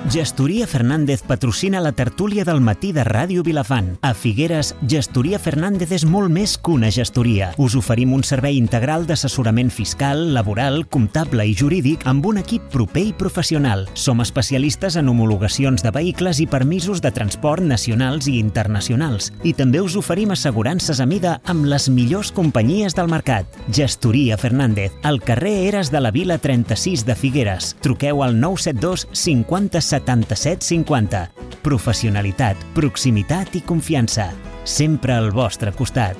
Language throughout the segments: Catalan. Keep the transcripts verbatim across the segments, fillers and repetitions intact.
Gestoria Fernández patrocina la tertúlia del matí de Ràdio Vilafant. A Figueres, Gestoria Fernández és molt més que una gestoria. Us oferim un servei integral d'assessorament fiscal, laboral, comptable i jurídic amb un equip proper i professional. Som especialistes en homologacions de vehicles i permisos de transport nacionals i internacionals. I també us oferim assegurances a mida amb les millors companyies del mercat. Gestoria Fernández, al carrer Eres de la Vila trenta-sis de Figueres. Truqueu al nou set dos cinquanta setanta-set cinquanta. Professionalitat, proximitat i confiança. Sempre al vostre costat.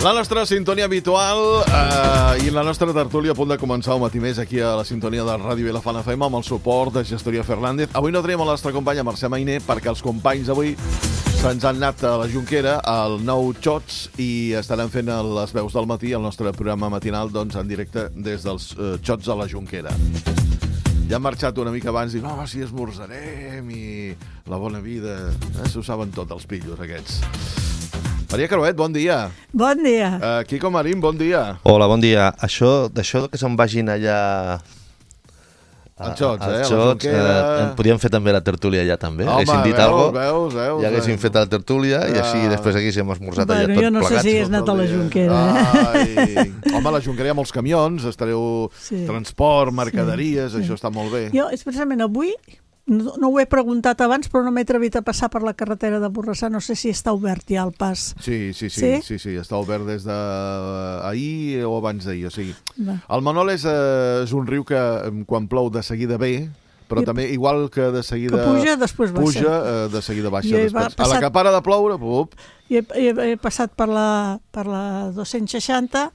La nostra sintonia habitual eh, i la nostra tertúlia a punt de començar un matí més aquí a la sintonia de Ràdio Vilafant F M amb el suport de Gestoria Fernández. Avui no tenim la nostra companya Mercè Mainer perquè els companys avui se'ns han anat a la Jonquera, al nou Xots, i estaran fent les veus del matí, el nostre programa matinal, doncs, en directe des dels eh, Xots a la Jonquera. Ja han marxat una mica abans i diuen, oh, sí, esmorzarem i la bona vida. Eh, s'ho saben tot, els pillos aquests. Maria Caruet, bon dia. Bon dia. Uh, Quico Marín, bon dia. Hola, bon dia. Això, d'això que se'n vagin allà... Als Xots, eh? Als Xots, eh, podríem fer també la tertúlia allà també. Home, haguéssim dit veus, algo, veus, veus. ja haguéssim fet la tertúlia i així després haguéssim esmorzat bueno, allà tot jo no plegats. sé si has anat a la Jonquera. Ai. Home, a la Jonquera hi ha molts camions, estareu Sí. transport, mercaderies, Sí, sí. això està molt bé. Jo, precisament avui, no, no ho he preguntat abans, però no m'he atrevit a passar per la carretera de Borrassà. No sé si està obert ja el pas. Sí, sí, sí, Sí? sí, sí, està obert des d'ahir o abans d'ahir, o sigui. Va. El Manol és, eh, és un riu que eh, quan plou de seguida ve, però I- també igual que de seguida Que puja, després baixa. puja, eh, de seguida baixa. Jo he Després. passat- A la que para de ploure, pup, I he, he, he passat per la, per la dos-cents seixanta,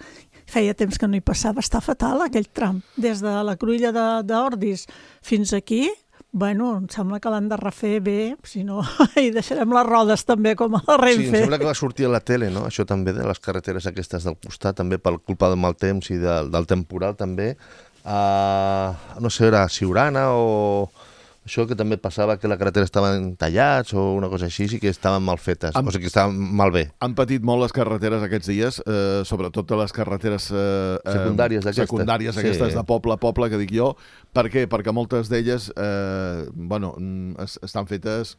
feia temps que no hi passava, està fatal aquell tram. Des de la Cruïlla de- d'Ordis fins aquí, bueno, em sembla que l'han de refer bé, si no, hi deixarem les rodes també com a la Sí, em Renfe. sembla que va sortir a la tele, no? Això també, de les carreteres aquestes del costat, també per culpa del mal temps i del, del temporal també. Uh, no sé, era Siurana o... Això que també passava que la carretera estaven tallats o una cosa així, sí que estaven mal fetes, Am- o sigui que estaven mal bé. han patit molt les carreteres aquests dies, eh, sobretot les carreteres eh, eh, Secundàries d'aquestes. secundàries Sí. aquestes de poble a poble, que dic jo. Per què? Perquè moltes d'elles eh, bueno, mm, es, estan fetes...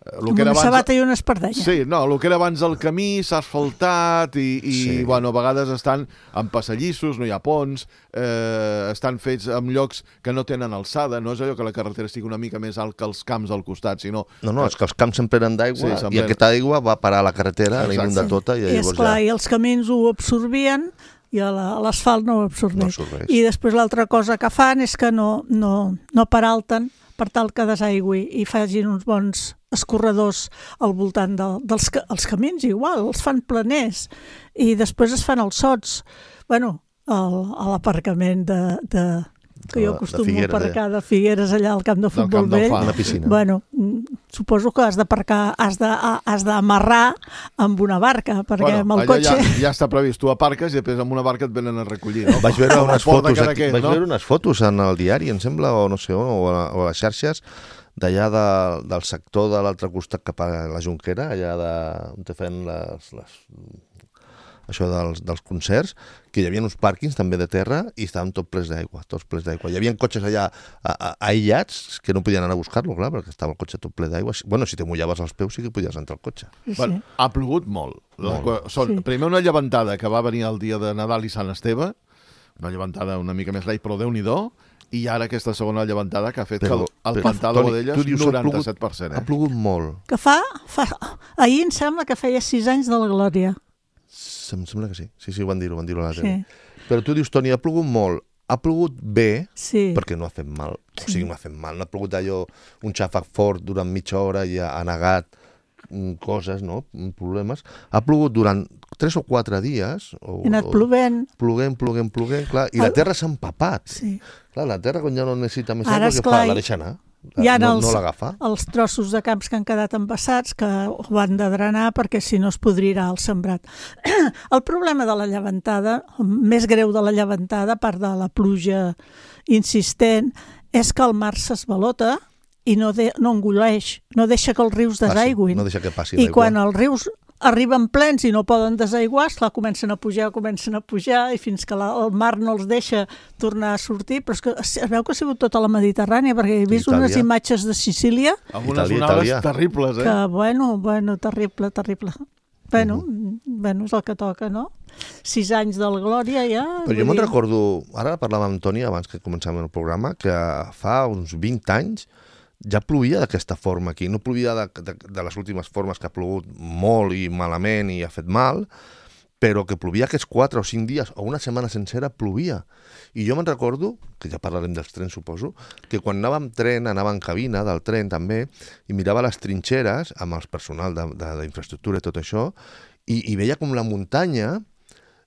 eh, lo Amb que era una abans- sabata i una espardenya. Sí, no, el que era abans el camí s'ha asfaltat i, i Sí. bueno, a vegades estan en passadissos, no hi ha ponts, eh, estan fets en llocs que no tenen alçada, no és allò que la carretera estigui una mica més alt que els camps al costat, sinó... No, no, és que els camps s'emplenen d'aigua Sí, sí, s'emplenen. i aquesta aigua va parar a la carretera, la Exacte. inunda tota i I, llavors esclar, ja... i els camins ho absorbien i a la- a l'asfalt no ho absorbeix. No absorbeix. I després l'altra cosa que fan és que no, no, no peralten per tal que desaigüi i facin uns bons escorredors al voltant de, dels ca- els camins, igual, els fan planers i després es fan els sots. Bueno, el- a l'aparcament de, de, que De- jo de acostumo a Figueres, aparcar de Figueres allà al camp de Del futbol camp del vell. Far. Una piscina. Bueno, mm, suposo que has d'aparcar, has de, has d'amarrar amb una barca, perquè amb el allà cotxe... ja, ja està previst, tu aparques i després amb una barca et venen a recollir, no? Vaig veure Com el unes port de fotos, aquí, Cadaqués, vaig no? veure unes fotos en el diari, em sembla, o no sé on, o a, o a les xarxes, d'allà de, del sector de l'altre costat cap a la Jonquera, allà de, on te feien les, les, això dels, dels concerts, que hi havia uns pàrquings també de terra i estaven tot plens d'aigua, tots plens d'aigua. Hi havia cotxes allà a, a, aïllats que no podien anar a buscar-lo, clar, perquè estava el cotxe tot ple d'aigua. Bueno, si te mullaves els peus sí que podies entrar al cotxe. Sí, Bueno, ha plogut molt. Molt. Són, Sí. Primer una llevantada que va venir el dia de Nadal i Sant Esteve, una llevantada una mica més light, però Déu-n'hi-do, i ara aquesta segona llevantada que ha fet Però- que el, el però, pantà de Toni, Godelles tu dius, ha plogut- noranta-set per cent. Ha Eh? plogut molt. Que fa, fa... Ahir em sembla que feia sis anys de la Glòria. Em sembla que sí. Sí, sí, ho van dir-ho, van dir-ho a la tele. Sí, Però tu dius, Toni, ha plogut molt. Ha plogut bé, sí. perquè no ha fet mal. O Sí. sigui, no ha fet mal. No ha plogut allò, un xàfec fort durant mitja hora i ha, ha negat mm, coses, no? Mm, problemes. Ha plogut durant tres o quatre dies. O, He anat o- plovent. Ploguent, ploguent, ploguent, clar. I la El- terra s'ha empapat. Sí. Clar, la terra, quan ja no necessita més Ara, aigua, què esclar, fa? La deixa anar. Hi ha no els, no l'agafa. els trossos de camps que han quedat embassats que ho han de drenar perquè si no es podrirà el sembrat. El problema de la llevantada, més greu de la llevantada, a part de la pluja insistent, és que el mar s'esvalota i no, de, no engoleix, no deixa que els rius Passi, desaigüin. no deixa que passi I l'aigua. quan els rius arriben plens i no poden desaiguar, esclar, comencen a pujar, comencen a pujar, i fins que la, el mar no els deixa tornar a sortir, però és que es veu que ha sigut tota la Mediterrània, perquè he vist Itàlia. unes imatges de Sicília, Algunes Itàlia, onades Itàlia. terribles, eh? que, bueno, bueno, terrible, terrible. Bueno, uh-huh. bueno, és el que toca, no? Sis anys del Glòria, ja... Però jo me'n recordo, ara parlàvem amb Toni abans que començàvem el programa, que fa uns vint anys ja plovia d'aquesta forma aquí. No plovia de, de, de les últimes formes que ha plogut molt i malament i ha fet mal, però que plovia aquests quatre o cinc dies o una setmana sencera plovia. I jo me'n recordo, que ja parlarem dels trens suposo, que quan anava amb tren, anava en cabina del tren també, i mirava les trinxeres amb el personal d'infraestructura i tot això, i, i veia com la muntanya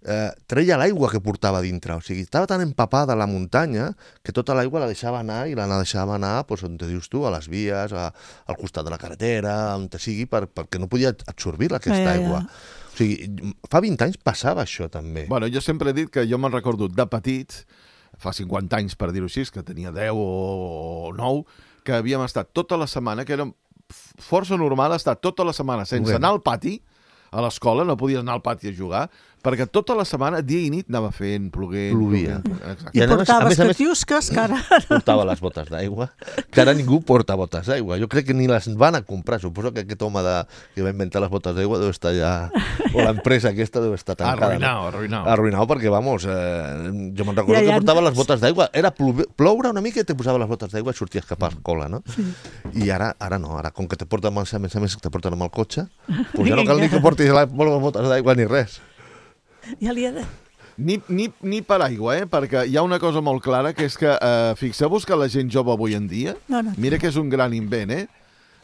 eh, treia l'aigua que portava dintre. O sigui, estava tan empapada la muntanya que tota l'aigua la deixava anar i la deixava anar, doncs, on te dius tu, a les vies, a, al costat de la carretera, on te sigui, per, perquè no podia absorbir aquesta ja, ja, ja. aigua. O sigui, fa vint anys passava això també. Bueno, jo sempre he dit que jo me'n recordo de petit, fa cinquanta anys per dir-ho així, que tenia deu o nou, que havíem estat tota la setmana, que era força normal estar tota la setmana sense anar al pati, a l'escola, no podies anar al pati a jugar, perquè tota la setmana, dia i nit, anava fent, ploguent... Plovia. Exacte. I, I a més- a portaves més a més- catiusques, que ara... Portava les botes d'aigua, que ara ningú porta botes d'aigua. Jo crec que ni les van a comprar. Suposo que aquest home de, que va inventar les botes d'aigua deu estar ja... O l'empresa aquesta deu estar tancada. Arruïnau, arruïnau. Arruïnau, perquè, vamos, eh, jo me'n recordo Ja, ja. que portava les botes d'aigua. Era plove, ploure una mica i te posava les botes d'aigua i sorties cap a l'escola, no? Sí. I ara ara no. Ara, com que te porten, a més a més, que te porten amb el cotxe, doncs ja no cal ni que portis les botes d'aigua ni res. Ja li he de... Ni, ni, ni per aigua, eh? Perquè hi ha una cosa molt clara, que és que, eh, fixeu-vos que la gent jove avui en dia, No, no. mira que és un gran invent, eh?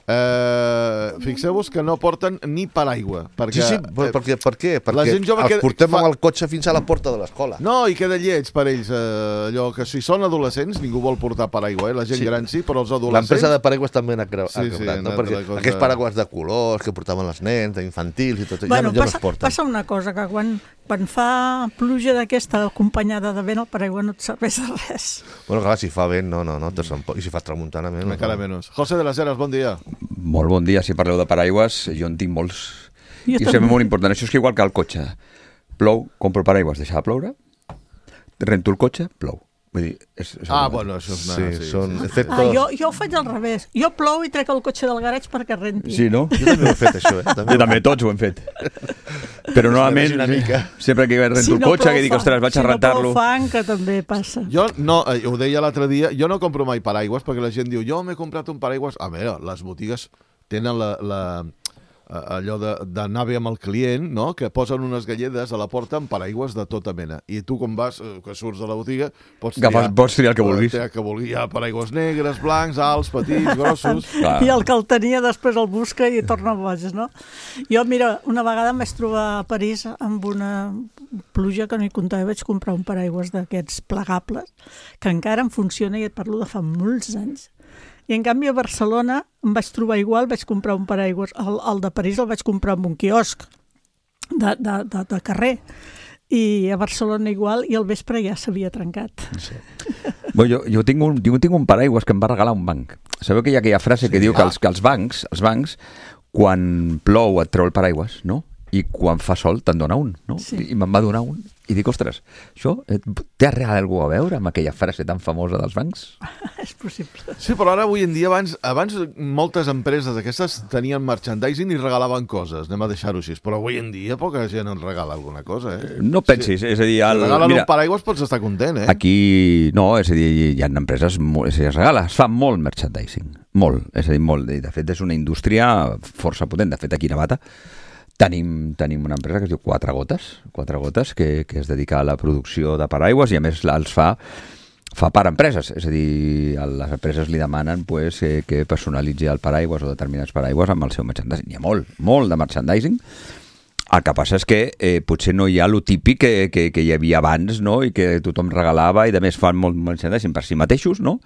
Eh, fixeu-vos que no porten ni per aigua. Perquè, Sí, sí, però per, què? per què? Perquè la gent jove els que portem fa- amb el cotxe fins a la porta de l'escola. No, i queda lleig per ells, eh, allò que si són adolescents ningú vol portar paraigua, eh? La gent Sí. gran sí, però els adolescents... L'empresa de paraigües també ha cre- ha Sí, sí, quebrat, una no? Perquè altra cosa- aquests paraigües de colors que portaven els nens, infantils i tot, Bueno, ja, no, ja passa, no es porten. passa una cosa, que quan, quan fa pluja d'aquesta acompanyada de vent, el paraigua no et serveix de res. Bueno, clar, si fa vent, no, no, no, te I si fa tramuntana, menys. Encara menys. José de las Heras, bon dia. Molt bon dia. Si parleu de paraigües, jo en tinc molts. Jo I també. sembla molt important. Això és que igual que el cotxe. Plou, compro paraigües, deixa de ploure, rento el cotxe, plou. Vull dir, és, és Ah, el bueno, això és... Sí, Una, són sí. efectes... Ah, jo, jo ho faig al revés. Jo plou i trec el cotxe del garatge perquè renti. Sí, no? Jo també ho he fet, això, eh? Jo també, tots ho hem fet. Però normalment, una mica. sempre que rento el cotxe, que dic, plou ostres, vaig si a rentar-lo. Si no plou fang, que també passa. Jo no, eh, ho deia l'altre dia, jo no compro mai paraigües perquè la gent diu, jo m'he comprat un paraigües... A veure, les botigues tenen la, la, eh, allò de- d'anar bé amb el client, no? Que posen unes galledes a la porta amb paraigües de tota mena. I tu, quan vas, eh, que surts de la botiga, pots Agafes- pots triar el que vulguis. Triar el que vulguis. Hi ha paraigües negres, blancs, alts, petits, grossos... Clar. I el que el tenia després el busca i torna boig, no? Jo, mira, una vegada em vaig trobar a París amb una pluja que no hi comptava, vaig comprar un paraigües d'aquests plegables, que encara en funciona i et parlo de fa molts anys. I en canvi a Barcelona em vaig trobar igual, vaig comprar un paraigües, el, el de París el vaig comprar en un quiosc de, de, de, de carrer, i a Barcelona igual, i al vespre ja s'havia trencat. Bueno, jo, jo, tinc un, jo tinc un paraigües que em va regalar un banc. Sabeu que hi ha aquella frase que diu que els, que els bancs, els bancs, quan plou et treu el paraigües, no? I quan fa sol te'n dona un, no? Sí. I me'n va donar un. I dic, ostres, això eh, té alguna a veure amb aquella frase tan famosa dels bancs? És possible. Sí, però ara avui en dia, abans, abans moltes empreses aquestes tenien merchandising i regalaven coses, anem a deixar-ho així, però avui en dia poca gent en regala alguna cosa, eh? No pensis, és a dir... Si El, regalen mira, un paraigües pots estar content, eh? aquí no, és a dir, hi ha empreses, molt- és a dir, es regala, es fa molt merchandising, molt, és a dir, molt. I de fet, és una indústria força potent. De fet, aquí a Navata tenim, tenim una empresa que es diu Quatre Gotes, Quatre Gotes, que, que es dedica a la producció de paraigües i a més els fa fa per empreses, és a dir, a les empreses li demanen pues, que, que personalitzi el paraigües o determinats paraigües amb el seu merchandising. Hi ha molt, molt de merchandising. El que passa és que eh, potser no hi ha lo típic que, que, que hi havia abans, no? I que tothom regalava i de més fan molt merchandising per si mateixos, no?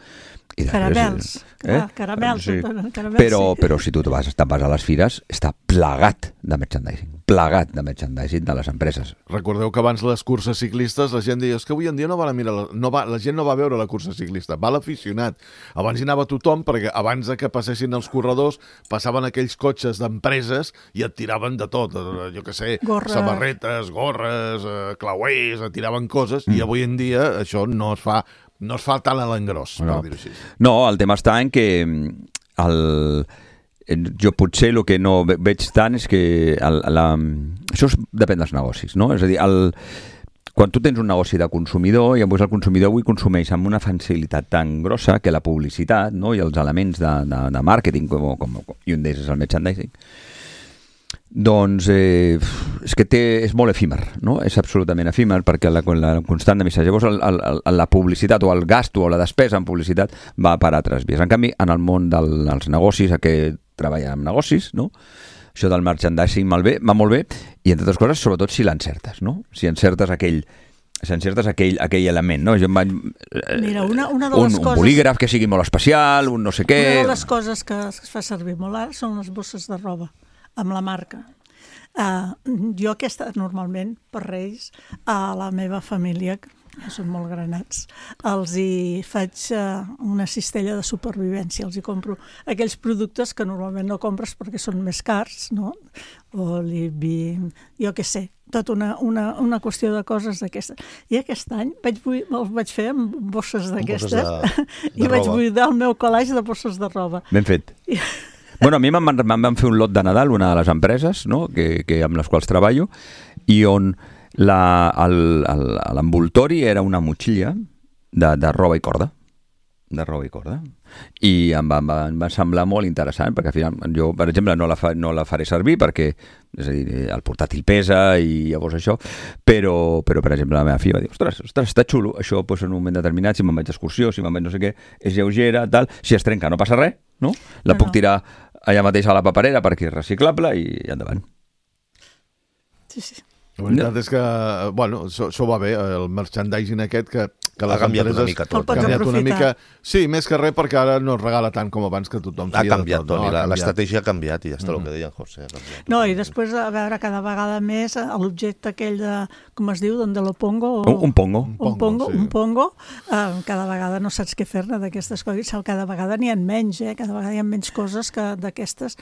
I caramels, eh? ah, caramels, sí. caramels però, sí. però si tu vas, vas a les fires, està plagat de merchandising, plagat de merchandising de les empreses. Recordeu que abans les curses ciclistes la gent deia és que avui en dia no va a mirar, la, no va, la gent no va a veure la cursa ciclista, va l'aficionat. Abans hi anava tothom perquè abans de que passessin els corredors passaven aquells cotxes d'empreses i et tiraven de tot, jo què sé, Gorra. samarretes, gorres, eh, clauers, et tiraven coses Mm. i avui en dia això no es fa no es fa tant a l'engròs, No. per dir-ho així. No, el tema està en que el, jo potser el que no ve- veig tant és que el, la, això es, depèn dels negocis, no? És a dir, el, quan tu tens un negoci de consumidor i llavors el consumidor avui consumeix amb una facilitat tan grossa que la publicitat, no? I els elements de, de, de màrqueting com, com, i un d'ells és el merchandising, doncs eh, és que té, és molt efímer, no? És absolutament efímer perquè la, la constant de missatge, llavors el, el, el, la publicitat o el gasto o la despesa en publicitat va per altres vies. En canvi, en el món del, dels negocis, a què treballa amb negocis, no? Això del merchandising va molt bé i, entre altres coses, sobretot si l'encertes, no? Si encertes aquell si encertes aquell, aquell element, no? Jo em vaig, eh, Mira, una, una de un, les un coses... bolígraf que sigui molt especial, un no sé què... Una de les coses que es fa servir molt ara són les bosses de roba, amb la marca. Uh, jo aquesta, normalment, per Reis, a la meva família, que són molt granats, els hi faig uh, una cistella de supervivència, els hi compro aquells productes que normalment no compres perquè són més cars, no? Oli, vi, jo què sé, tot una, una, una qüestió de coses d'aquestes. I aquest any vaig, els vaig fer amb bosses d'aquestes de, de i vaig roba. buidar el meu calaix de bosses de roba. Ben fet. Bueno, a mi me'n van, van fer un lot de Nadal, una de les empreses, no? que, que amb les quals treballo, i on l'envoltori era una motxilla de, de roba i corda. De roba i corda. I em va, em va, em va semblar molt interessant, perquè al final jo, per exemple, no la, fa, no la faré servir perquè, és a dir, el portàtil pesa i llavors això, però, però per exemple, la meva filla va dir, ostres, ostres està xulo, això pues, en un moment determinat, si me'n vaig d'excursió, si me'n vaig no sé què, és lleugera, tal, si es trenca no passa res, no? La No, puc no. tirar allà mateix a la paperera perquè és reciclable i endavant. Sí, sí. La veritat és que, bueno, això, això va bé, el merchandising aquest que, que les Ha canviat empreses... una mica tot. El pots Ha canviat una aprofitar. mica... Sí, més que res perquè ara no es regala tant com abans que tothom Ha feia canviat, de tot. Toni, no? Ha la- canviat. l'estratègia ha canviat i ja està el que deia en José. Ha canviat. No, i després, a veure, cada vegada més eh, l'objecte aquell de, com es diu, donde lo pongo? O... Un, un pongo. Un pongo, pongo, sí. un pongo, eh, cada vegada no saps què fer-ne d'aquestes coses, cada vegada n'hi ha menys, eh? Cada vegada hi ha menys coses que d'aquestes,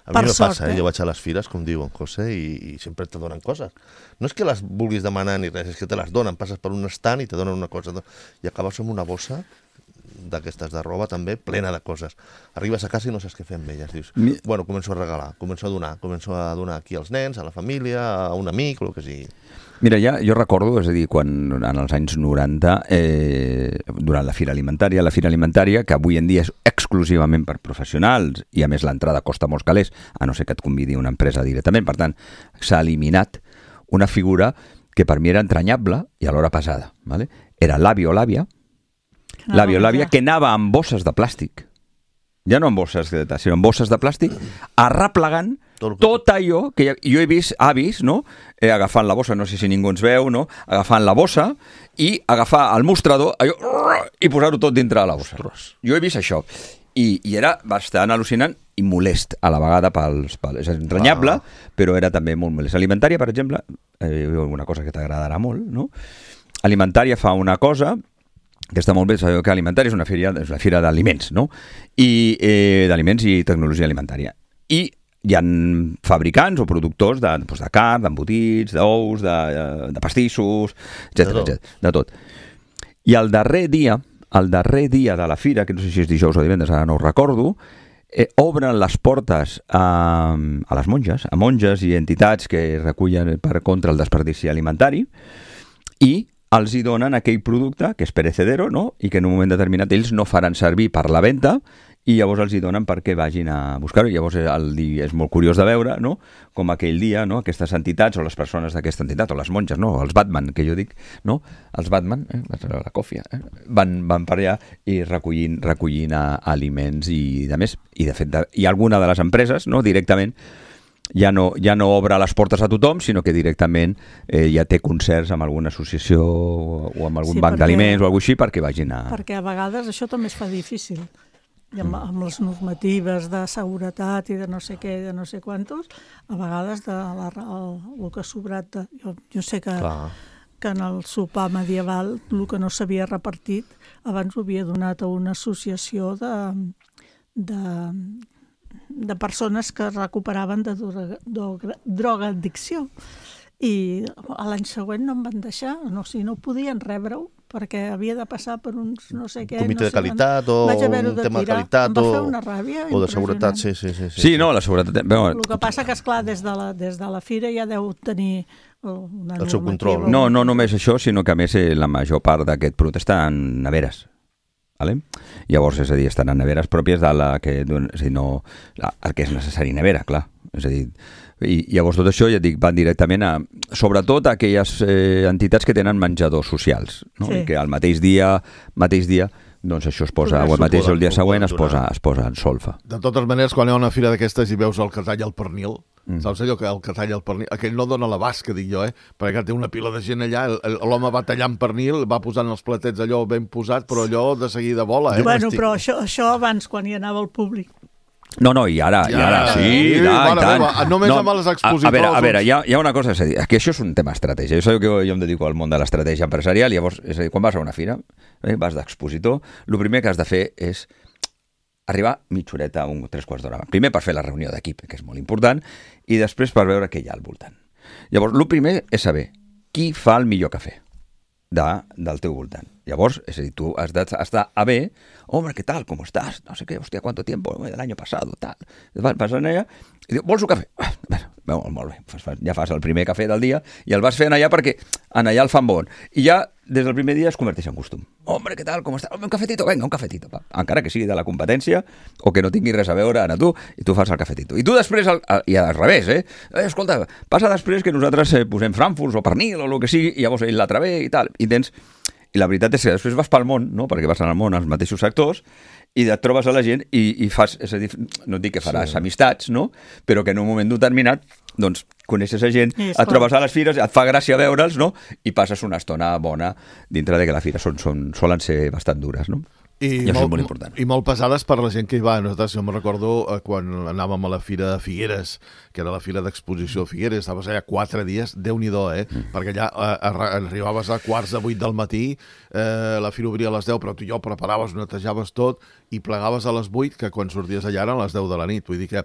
A mi per me sort, passa, eh? eh? Jo vaig a les fires, com diu en José, i, i sempre te donen coses. No és que les vulguis demanar ni res, és que te les donen. Passes per un estant i te donen una cosa. I acabes amb una bossa d'aquestes de roba també, plena de coses. Arribes a casa i no saps què fer amb elles. Dius, Mi- bueno, començo a regalar, començo a donar, començo a donar aquí als nens, a la família, a un amic, el que sigui. Mira, ja, jo recordo, és a dir, quan en els anys noranta, eh, durant la Fira Alimentària, la Fira Alimentària, que avui en dia és exclusivament per professionals, i a més l'entrada costa molts calés, a no ser que et convidi una empresa directament, per tant, s'ha eliminat una figura que per mi era entranyable i alhora pesada. ¿vale? Era l'avi o l'àvia, l'avi o l'àvia, que anava amb bosses de plàstic, ja no amb bosses, de, sinó amb bosses de plàstic, arreplegant Tot el que- tot allò que ja- jo he vist avis, no? Eh, agafant la bossa, no sé si ningú ens veu, no? Agafant la bossa i agafar el mostrador allò, i posar-ho tot dintre de la bossa. Jo he vist això. I, i era bastant al·lucinant i molest a la vegada pels... pels és entranyable, ah. però era també molt molest. Alimentària, per exemple, eh, una cosa que t'agradarà molt, no? Alimentària fa una cosa que està molt bé, sabeu que Alimentària és una fira, és una fira d'aliments, no? I eh, d'aliments i tecnologia alimentària. I hi ha fabricants o productors de, doncs, de carn, d'embotits, d'ous, de, de pastissos, etcètera, De tot. etcètera, de tot. I el darrer dia, el darrer dia de la fira, que no sé si és dijous o divendres, ara no ho recordo, eh, obren les portes a, a les monges, a monges i entitats que recullen per contra el desperdici alimentari, i els hi donen aquell producte que és perecedero, no? I que en un moment determinat ells no faran servir per la venda i llavors els hi donen perquè vagin a buscar-ho. Llavors el dia és molt curiós de veure, no? Com aquell dia, no? Aquestes entitats o les persones d'aquesta entitat, o les monges, no? Els Batman, que jo dic, no? Els Batman, eh? la còfia, eh? van, van per allà i recollint, recollint a, aliments i de més. I de fet, de, hi ha alguna de les empreses, no? Directament ja no, ja no obre les portes a tothom, sinó que directament eh, ja té concerts amb alguna associació o amb algun Sí, banc perquè- d'aliments o alguna cosa així perquè vagin a... Perquè a vegades això també es fa difícil. I amb, amb les normatives de seguretat i de no sé què, de no sé quantos, a vegades de la, el, el que ha sobrat... De, jo, jo sé que, Clar. que en el sopar medieval el que no s'havia repartit abans ho havia donat a una associació de, de, de persones que es recuperaven de droga, droga, drogadicció. I a l'any següent no em van deixar, no, si no podien rebre-ho, perquè havia de passar per uns no sé què... Comitè no de sé qualitat on. o Vaig haver-ho un de tema de tirar. qualitat Em va o, fer una ràbia o de seguretat, impressionant. sí, sí, sí. Sí, no, la seguretat... Bueno, El que passa que, esclar, des de la, des de la fira ja deu tenir una El seu normativa. control. no, no només això, sinó que a més eh, la major part d'aquest producte està en neveres. Vale? Llavors, és a dir, estan en neveres pròpies de la que, és a dir, no, la, el que és necessari nevera, clar. És a dir, i llavors tot això, ja dic, van directament a, sobretot a aquelles eh, entitats que tenen menjadors socials, no? Sí. I que al mateix dia, mateix dia, doncs això es posa, o el mateix el dia Poden- següent es poden posa, donar. es posa en solfa. De totes maneres, quan hi ha una fira d'aquestes i veus el que talla el pernil, Mm. saps allò que el que talla el pernil, aquell no dona l'abast, que dic jo, eh? Perquè té una pila de gent allà, el- el- l'home va tallant pernil, va posant els platets allò ben posat, però allò de seguida vola, eh? Bueno, estic- però això, això abans, quan hi anava el públic. No, no, i ara, i I ara, ara, sí, sí, i tant, mare i tant. meva, només amb els expositors, A, a veure, a veure doncs. hi, ha, hi ha una cosa, és a dir, que això és un tema estratègia. Jo sabeu que jo em dedico al món de l'estratègia empresarial, llavors, és a dir, quan vas a una fira, eh, vas d'expositor, el primer que has de fer és arribar mitja horeta, un tres quarts d'hora. Primer per fer la reunió d'equip, que és molt important, i després per veure què hi ha al voltant. Llavors, el primer és saber qui fa el millor cafè de, del teu voltant. Llavors, és a dir, tu has d'estar a bé, hombre, ¿qué tal? ¿Cómo estás? No sé qué, hostia, ¿cuánto tiempo? Del año pasado, tal. Vas, vas allà i diu, vols un cafè? Ah, bueno, molt bé, fas, fas, ja fas el primer cafè del dia i el vas fent allà perquè en allà el fan bon. I ja, des del primer dia, es converteix en costum. Hombre, ¿qué tal? ¿Cómo estás? Un cafetito, venga, un cafetito. Pa. Encara que sigui de la competència o que no tingui res a veure a tu, i tu fas el cafetito. I tu després, al, al, i al revés, eh? eh? Escolta, passa després que nosaltres eh, posem frankfurts o pernil o el que sigui, i llavors ell l'altre ve i tal. I tens... I la veritat és que després vas pel món, no? Perquè vas al món als mateixos sectors i et trobes a la gent i, i fas, és a dir, no et dic que faràs sí. amistats, no? Però que en un moment determinat, doncs, coneixes a gent, Sí, és et clar. trobes a les fires, et fa gràcia veure'ls, no? I passes una estona bona dintre de que la fira són, són, solen ser bastant dures, no? I això és molt important. I molt pesades per la gent que hi va. Nosaltres, jo me'n recordo eh, quan anàvem a la fira de Figueres, que era la fira d'exposició de Figueres, estaves allà quatre dies, Déu-n'hi-do, eh? Mm. Perquè allà eh, arri- arribaves a quarts de vuit del matí, eh, la fira obria a les deu, però tu ja ho preparaves, netejaves tot, i plegaves a les vuit, que quan sorties allà eren les deu de la nit. Vull dir que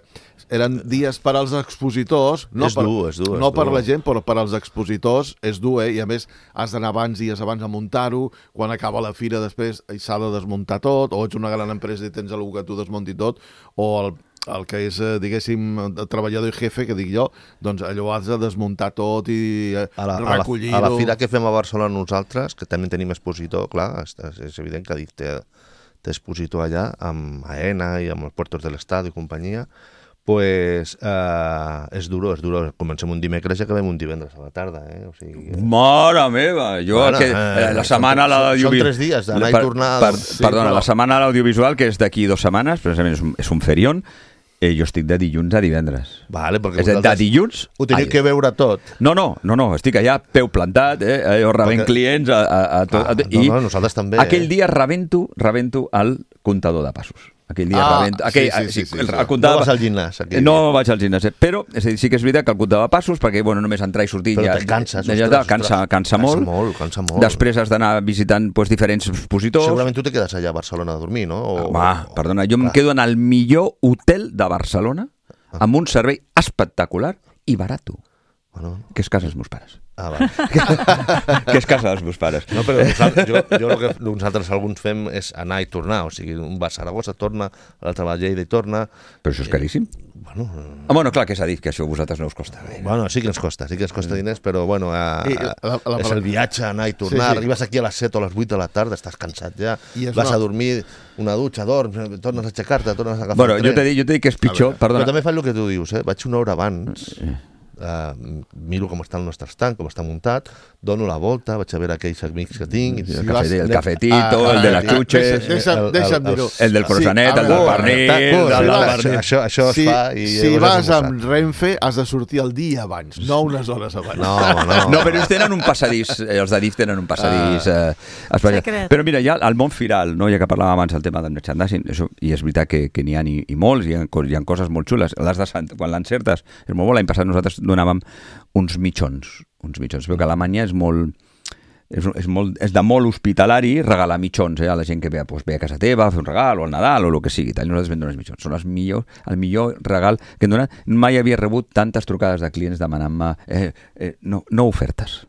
eren dies per als expositors, no, És per, dur, és dur, és no per dur. la gent, però per als expositors és dur, eh? I a més has d'anar abans, dies abans a muntar-ho, quan acaba la fira després s'ha de desmuntar tot, o ets una gran empresa i tens algú que t'ho desmunti tot, o el, el que és, eh, diguéssim, el treballador i jefe, que dic jo, doncs allò has de desmuntar tot i eh, A la, a, la, recollir-ho. a la fira que fem a Barcelona nosaltres, que també tenim expositor, clar, és, és evident que dic, té, té expositor allà, amb AENA i amb els Puertos de l'Estat i companyia, pues eh, és duro, és duro. Comencem un dimecres i acabem un divendres a la tarda, eh? O sigui, Mare meva! Jo, Bueno, que, eh, eh, la setmana són- a l'audiovisual... són tres dies d'anar i Per- tornar, Per, doncs, sí, perdona, però- la setmana a l'audiovisual, que és d'aquí dues setmanes, precisament és un, és un ferión, eh, jo estic de dilluns a divendres. vale, perquè És a dir, de vosaltres dilluns... ho teniu ai, que veure tot. No, no, no, no, estic allà peu plantat, eh, eh, jo rebent Perquè- clients a, a, a tot, Ah, a, no, no, nosaltres també, aquell eh? dia rebento, rebento el comptador de passos. Aquell dia Ah, rebento... Aquell, sí, sí, sí, sí, el, sí. el comptador No de- vas al gimnàs, aquell No dia. vaig al gimnàs, eh? Però és a dir, sí que és veritat que el comptador de passos, perquè bueno, només entrar i sortir Però ja... te canses, ja, ostres, ja, ostres. cansa, cansa molt. Cansa molt, cansa molt. Després has d'anar visitant pues, diferents expositors. Segurament tu te quedes allà a Barcelona a dormir, no? O, Home, o- perdona, jo em clar. quedo en el millor hotel de Barcelona amb un servei espectacular i barato, Bueno, que és casa dels meus pares. ah, vale. Que és casa dels meus pares. No, però nosaltres, jo, jo el que nosaltres alguns fem és anar i tornar, o sigui, un va a Saragossa, torna, l'altre va a Lleida i torna. Però això és caríssim. Bueno, Ah, bueno, clar, que s'ha dit que això a vosaltres no us costa. Bé. bueno, sí que ens costa, sí que ens costa diners, però bueno, a, I a, la- la- és el viatge, anar i tornar, Sí, sí. arribes aquí a les set o a les vuit de la tarda, estàs cansat ja, I és vas una- a dormir una dutxa, dorms, tornes a aixecar-te, tornes a agafar Bueno, el jo tren. t'he dit, jo t'he dit que és pitjor, Però perdona. també faig el que tu dius, eh? Vaig una hora abans eh, miro com està el nostre estand, com està muntat, dono la volta, vaig a veure aquells amics que tinc... El, café, el cafetito, ah, el de les xuches... Deixa'm, deixa'm dir-ho. El del croissanet, sí, el del pernil... Això, això, això si, es fa... I si vas amb Renfe, has de sortir el dia abans, no unes hores abans. No, no. No, però ells tenen un passadís, els d'Adif tenen un passadís... Ah. Eh, però mira, ja al món firal, no? Ja que parlàvem abans del tema del merchandising, això, i és veritat que, que n'hi ha i, i molts, hi ha, hi ha coses molt xules. Les de Sant, quan l'encertes, és molt bo. L'any passat nosaltres donàvem uns mitjons. Uns mitjons. Veu que a Alemanya és molt... És, és, molt, és de molt hospitalari regalar mitjons eh, a la gent que ve, doncs, ve a casa teva a fer un regal, o al Nadal, o el que sigui. Tal. Nosaltres vam donar els mitjons. Són els millor, el millor regal que hem donat. Mai havia rebut tantes trucades de clients demanant-me eh, eh, no, no ofertes.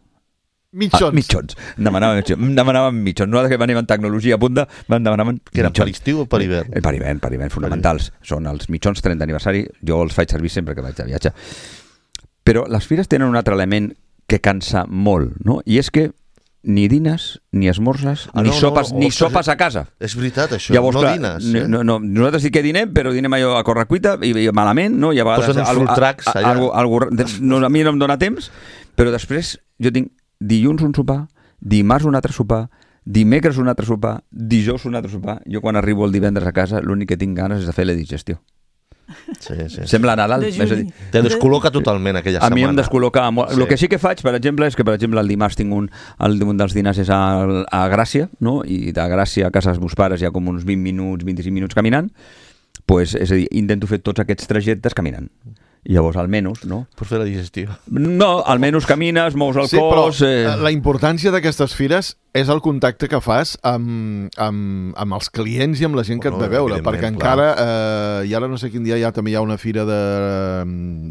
Mitjons. Ah, mitjons. Demanaven mitjons. Demanaven mitjons. Nosaltres que venim en tecnologia a punta, van demanaven que eren per estiu o per hivern? Eh, per hivern, per hivern, fonamentals. Per Són els mitjons trenta aniversari. Jo els faig servir sempre que vaig de viatge. Però les fires tenen un altre element que cansa molt, no? I és que ni dines, ni esmorzes, ah, ni, no, sopes, no, no, ni ostres, sopes a casa. És veritat, això. Llavors, no clar, dines. Eh? No, no, nosaltres sí que dinem, però dinem allò a correcuita i, i malament, no? I a vegades... Posen uns full tracks allà. Algo, algo, no, a mi no em dóna temps, però després jo tinc dilluns un sopar, dimarts un altre sopar, dimecres un altre sopar, dijous un altre sopar. Jo quan arribo el divendres a casa l'únic que tinc ganes és de fer la digestió. Sí, sí. Sembla Nadal. És a dir, te descol·loca totalment aquella setmana. A mi em descol·loca molt. Sí. El que sí que faig, per exemple, és que per exemple el dimarts tinc un, el, un dels dinars és a, a Gràcia, no? I de Gràcia a casa dels meus pares hi ha com uns vint minuts, vint-i-cinc minuts caminant, pues, és a dir, intento fer tots aquests trajectes caminant. I llavors, almenys, no? Per fer la digestió. No, almenys camines, mous el sí, cos... Sí, però eh... la importància d'aquestes fires és el contacte que fas amb, amb, amb els clients i amb la gent que et ve a veure, perquè encara, eh, i ara no sé quin dia ja també hi ha una fira de,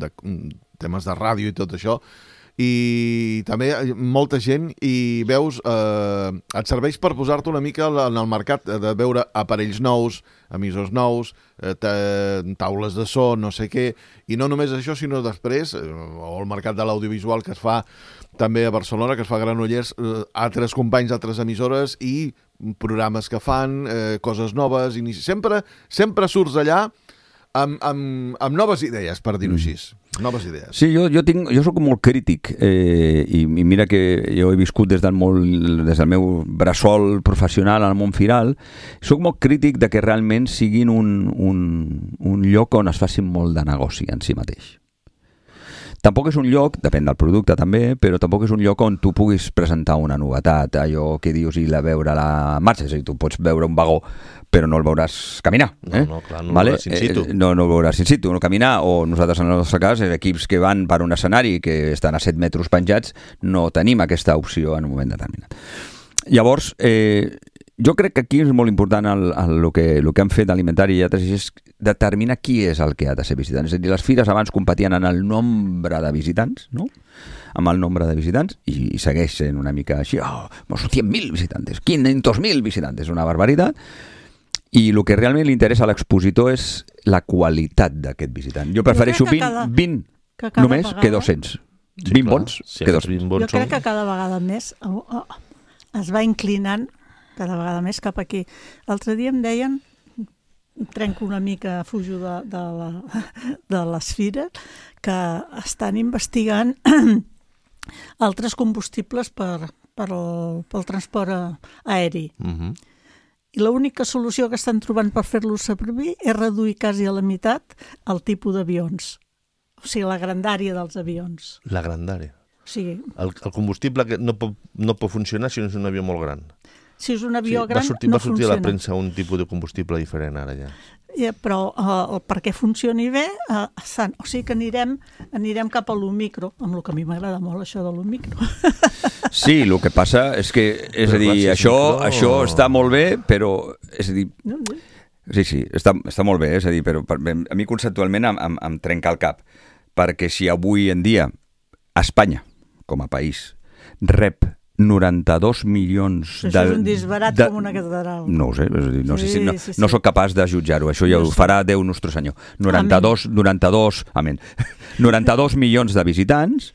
de, de temes de ràdio i tot això, i també molta gent i veus, eh, et serveix per posar-te una mica en el mercat, de veure aparells nous, emissors nous, eh, taules de so, no sé què, i no només això, sinó després, eh, o el mercat de l'audiovisual que es fa també a Barcelona, que es fa a Granollers, eh, altres companys d'altres emissores i programes que fan, eh, coses noves, inici... sempre, sempre surts allà amb, amb, amb noves idees, per dir-ho així. Noves idees. Sí, jo, jo, tinc, jo soc molt crític eh, i, i mira que jo he viscut des del, molt, des del meu bressol professional al món firal. Soc molt crític de que realment siguin un, un, un lloc on es faci molt de negoci en si mateix. Tampoc és un lloc, depèn del producte també, però tampoc és un lloc on tu puguis presentar una novetat, allò que dius i la veure a la marxa. És a dir, tu pots veure un vagó, però no el veuràs caminar. Eh? No, no, clar, no vale? el veuràs in situ. Eh, no, no el veuràs in situ, no caminar, o nosaltres en el nostre cas, equips que van per un escenari que estan a set metres penjats, no tenim aquesta opció en un moment determinat. Llavors, eh, jo crec que aquí és molt important el, el, el, que, el que han fet Alimentari i altres, és determinar qui és el que ha de ser visitant. És a dir, les fires abans competien en el nombre de visitants, no? Amb el nombre de visitants, i, i segueix sent una mica així, oh, cent mil visitants, quinientos mil visitants, una barbaritat. I el que realment li interessa a l'expositor és la qualitat d'aquest visitant. Jo prefereixo vint, cada, vint que només vegada, que dos-cents. Sí, vint clar, bons sí, que dos-cents. Jo crec que cada vegada més oh, oh, es va inclinant cada vegada més cap aquí. L'altre dia em deien, trenco una mica, fujo de, de, la, de les fires, que estan investigant altres combustibles per, per el, pel transport aeri. Uh-huh. I l'única solució que estan trobant per fer-los servir és reduir quasi a la meitat el tipus d'avions. O sigui, la grandària dels avions. La grandària. O sigui, el, el combustible que no pot, no pot funcionar si no és un avió molt gran. Si és un avió sí, gran, va sortir, no va sortir funciona. a la premsa un tipus de combustible diferent ara ja. Ja, però uh, perquè funcioni bé, uh, san, o sigui que anirem, anirem cap a l'Omicro, amb el que a mi m'agrada molt això de l'Omicro. Sí, el que passa és que, és però a dir, clar, si això, micro... això està molt bé, però, és a dir, no, no. sí, sí, està, està molt bé, és a dir, però per, a mi conceptualment em, em, em trenca el cap, perquè si avui en dia Espanya, com a país, rep noranta-dos milions... Això de, és un disbarat de, com una catedral. No ho sé, és a dir, no, sí, sé si, no, sí, sí. no soc capaç de jutjar-ho, això ja no ho farà Déu nostre senyor. noranta-dos, noranta-dos, amén. noranta-dos milions de visitants,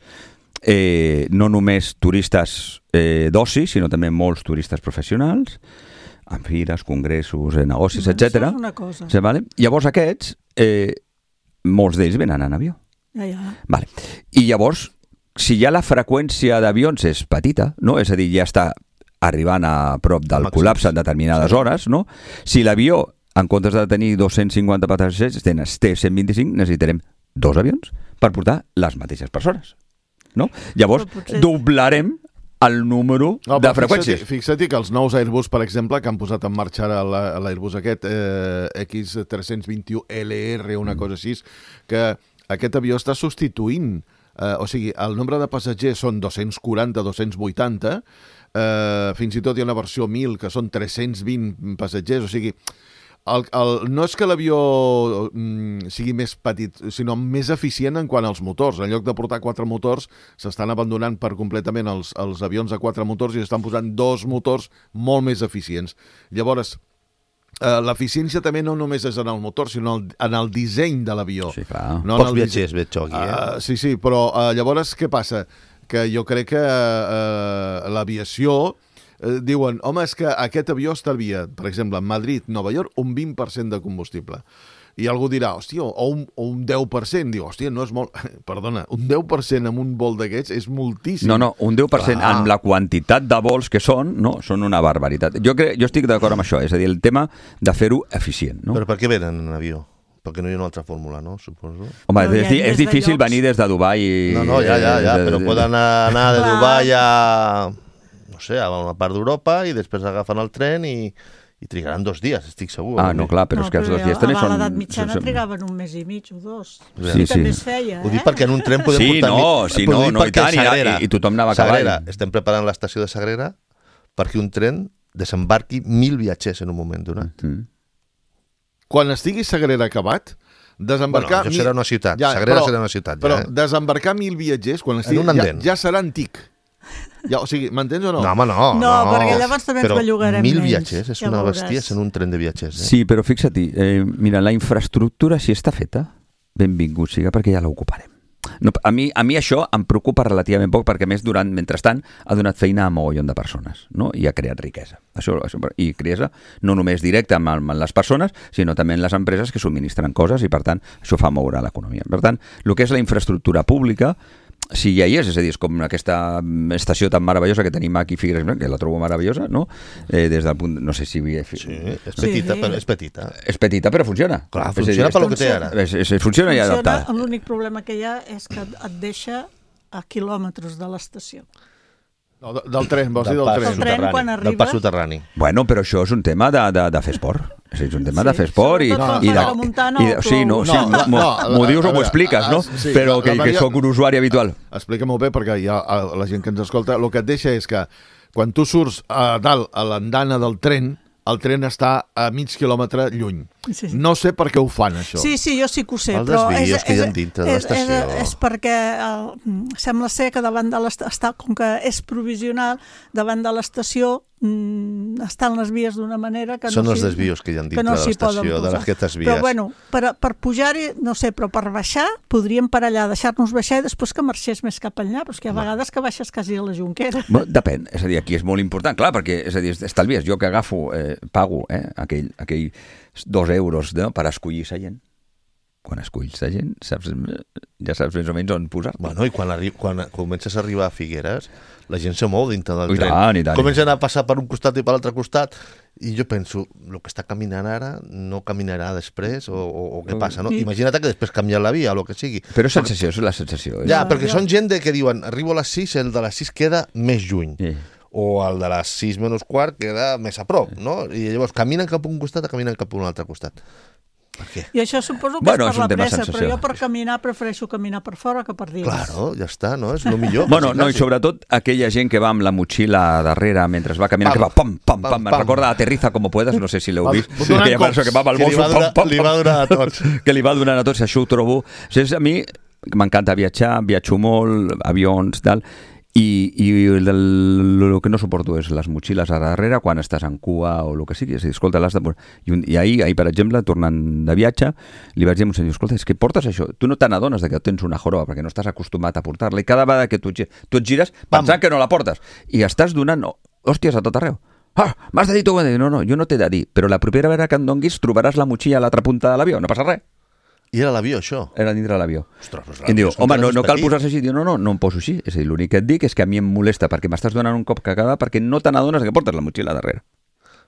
eh, no només turistes eh, d'oci, sinó també molts turistes professionals, amb fires, congressos, eh, negocis, no, etcètera. Això és una cosa. Sí, vale? Llavors aquests, eh, molts d'ells venen en avió. Ja, ja. Vale. I llavors, si ja la freqüència d'avions és petita, no? És a dir, ja està arribant a prop del Màxims. col·lapse en determinades Sí. hores, no? Si l'avió, en comptes de tenir dos-cents cinquanta passatgers, té cent vint-i-cinc, necessitarem dos avions per portar les mateixes persones, no? Llavors, Però potser- doblarem el número No, de però freqüències. Fixa't, fixa't que els nous Airbus, per exemple, que han posat en marxa ara la- l'Airbus aquest, eh, X tres-cents vint-i-u L R, una cosa així, que aquest avió està substituint, eh, o sigui, el nombre de passatgers són dos-cents quaranta, dos-cents vuitanta, eh, fins i tot hi ha una versió mil que són tres-cents vint passatgers, o sigui, el, el, no és que l'avió mm, sigui més petit, sinó més eficient en quant als motors. En lloc de portar quatre motors, s'estan abandonant per completament els, els avions a quatre motors i estan posant dos motors molt més eficients. Llavors, eh, l'eficiència també no només és en el motor, sinó en el disseny de l'avió. Sí, clar. No en Pocs el viatgers disseny. veig jo aquí, eh? Uh, sí, sí, però uh, llavors què passa? Que jo crec que uh, l'aviació uh, diuen, home, és que aquest avió estalvia, per exemple, en Madrid, Nova York, un vint per cent de combustible. I algú dirà, hòstia, o un, o un deu per cent. Diu, hòstia, no és molt... Perdona, un deu per cent en un vol d'aquests és moltíssim. No, no, un deu per cent Clar. amb la quantitat de vols que són, no, són una barbaritat. Jo, crec, jo estic d'acord amb això, és a dir, el tema de fer-ho eficient, no? Però per què venen en avió? Perquè no hi ha una altra fórmula, no? Suposo. Home, Però hi és, ha di- és des de difícil llocs- venir des de Dubai i... No, no, ja, ja, ja, eh, però de- poden anar de Clar. Dubai a, no sé, a una part d'Europa i després agafen el tren i, i trigaran dos dies, estic segur. Ah, no, clar, però és que els dos dies també són... A l'edat mitjana són- trigaven un mes i mig o dos. Sí, I també sí. es feia, Ho dic eh? perquè en un tren podem Sí, portar... no, mi- sí, però ho no, dic no, i perquè tant, i- Sagrera, i- i tothom anava a cavall. Sagrera, estem preparant l'estació de Sagrera perquè un tren desembarqui mil viatgers en un moment donat. Mm. Quan estigui Sagrera acabat, desembarcar... Bueno, això serà una ciutat. Sagrera serà una ciutat, ja, Però eh? desembarcar mil viatgers, quan estigui, un ja, andén. ja serà antic. Ja, o sigui, m'entens o no? No, home, no. No, perquè llavors també ens Però bellugarem mil menys, viatgers, és ja una veuràs. bèstia en un tren de viatgers. Eh? Sí, però fixa't, eh, mira, la infraestructura, si està feta, benvingut siga, perquè ja l'ocuparem. No, a, mi, a mi això em preocupa relativament poc perquè, a més, durant, mentrestant, ha donat feina a mogollon de persones, no? I ha creat riquesa. Això, això, I riquesa no només directa amb, amb les persones, sinó també en les empreses que subministren coses i, per tant, això fa moure l'economia. Per tant, el que és la infraestructura pública, si ja hi és, és a dir, és com aquesta estació tan meravellosa que tenim aquí a Figueres, que la trobo meravellosa, no? Eh, des del punt... No sé si... Sí, és petita, Sí. però és petita. És petita, però funciona. Clar, És a dir, funciona és- pel que té ara. És, és, funciona ja Funciona, adaptada. l'únic problema que hi ha és que et deixa a quilòmetres de l'estació. No, de- del tren, vols dir del pas tren. El tren, quan Del arriba- pas soterrani. Bueno, però això és un tema de, de, de fer esport. És, a dir, és un tema de Sí, fer esport i, sobretot i, quan de, fas la muntanya i de, o sí, no, plou. sí, No, la- m'ho no, m'ho la- dius a o m'ho veure, expliques, no? ah, sí, Però la- que, la que Maria- sóc un usuari habitual. Explica-m'ho bé, perquè hi ha a la gent que ens escolta, el que et deixa és que quan tu surts a dalt, a l'andana del tren, el tren està a mig quilòmetre lluny. Sí, sí. No sé per què ho fan, això. Sí, sí, jo sí que ho sé, Els però és, desvios que hi ha és, dintre de és, és, l'estació. és perquè eh, sembla ser que davant de l'estació, com que és provisional, davant de l'estació mm, estan les vies d'una manera que Són no els s'hi- desvios que hi ha dintre que no de s'hi l'estació, poden de posar. aquestes vies. Però bueno, per, per pujar-hi, no sé, però per baixar, podríem parar allà, deixar-nos baixar i després que marxés més cap enllà, però és que hi ha vegades que baixes quasi a la Jonquera. Bueno, depèn, és a dir, aquí és molt important, clar, perquè és a dir, estalvies, jo que agafo, eh, pago eh, aquell, aquell dos euros no, per escollir sa gent. Quan escolls sa gent, saps, ja saps més o menys on posar. Bueno, i quan, arri quan comences a arribar a Figueres, la gent se mou dintre del I tren. tant, i tant. Comencen a passar per un costat i per l'altre costat, i jo penso, el que està caminant ara no caminarà després, o, o, o què passa, no? Sí. Imagina't que després canvia la via, o el que sigui. Però és sensació, és la sensació. Eh? Ja, Ja, perquè ja. són gent de que diuen, arribo a les sis, el de les sis queda més lluny. Sí. O el de les sis menys quart queda més a prop, no? I llavors caminen cap a un costat o caminen cap a un altre costat. Per què? I això suposo que Bueno, és és per un la tema pressa, sensació. però jo per caminar prefereixo caminar per fora que per dins. Claro, ja està, no? És el millor. Bueno, quasi, no, i quasi. sobretot aquella gent que va amb la motxilla darrere mentre es va caminant, Pam, que va pam, pam, pam, pam, me pam. recorda Aterriza como puedas, no sé si l'heu Va vist, donant aquella cops, persona que va amb el que li bolso, va donar- pam, pam, li va donar a tots. que li va donant a tots, això ho trobo. O sigui, a mi m'encanta viatjar, viatjo molt, avions, tal, i, i el, el que no suporto és les motxilles a darrere quan estàs en cua o el que sigui. És a dir, escolta, l'has de posar. I, un, I ahir, ahir, per exemple, tornant de viatge, li vaig dir a un senyor, escolta, és que portes això, tu no te n'adones de que tens una joroba perquè no estàs acostumat a portar-la i cada vegada que tu, et gi- tu et gires pensant que no la portes i estàs donant hòsties a tot arreu. Ah, m'has de dir tu, no, no, jo no t'he de dir, però la propera vegada que em donguis trobaràs la motxilla a l'altra punta de l'avió, no passa res. I era l'avió, això? Era dintre l'avió. Ostres, però I em diu, l'avió home, no, és no cal petit. posar-se així. Diu, no, no, no em poso així. És a dir, l'únic que et dic és que a mi em molesta perquè m'estàs donant un cop cagada perquè no te n'adones que portes la motxilla darrere.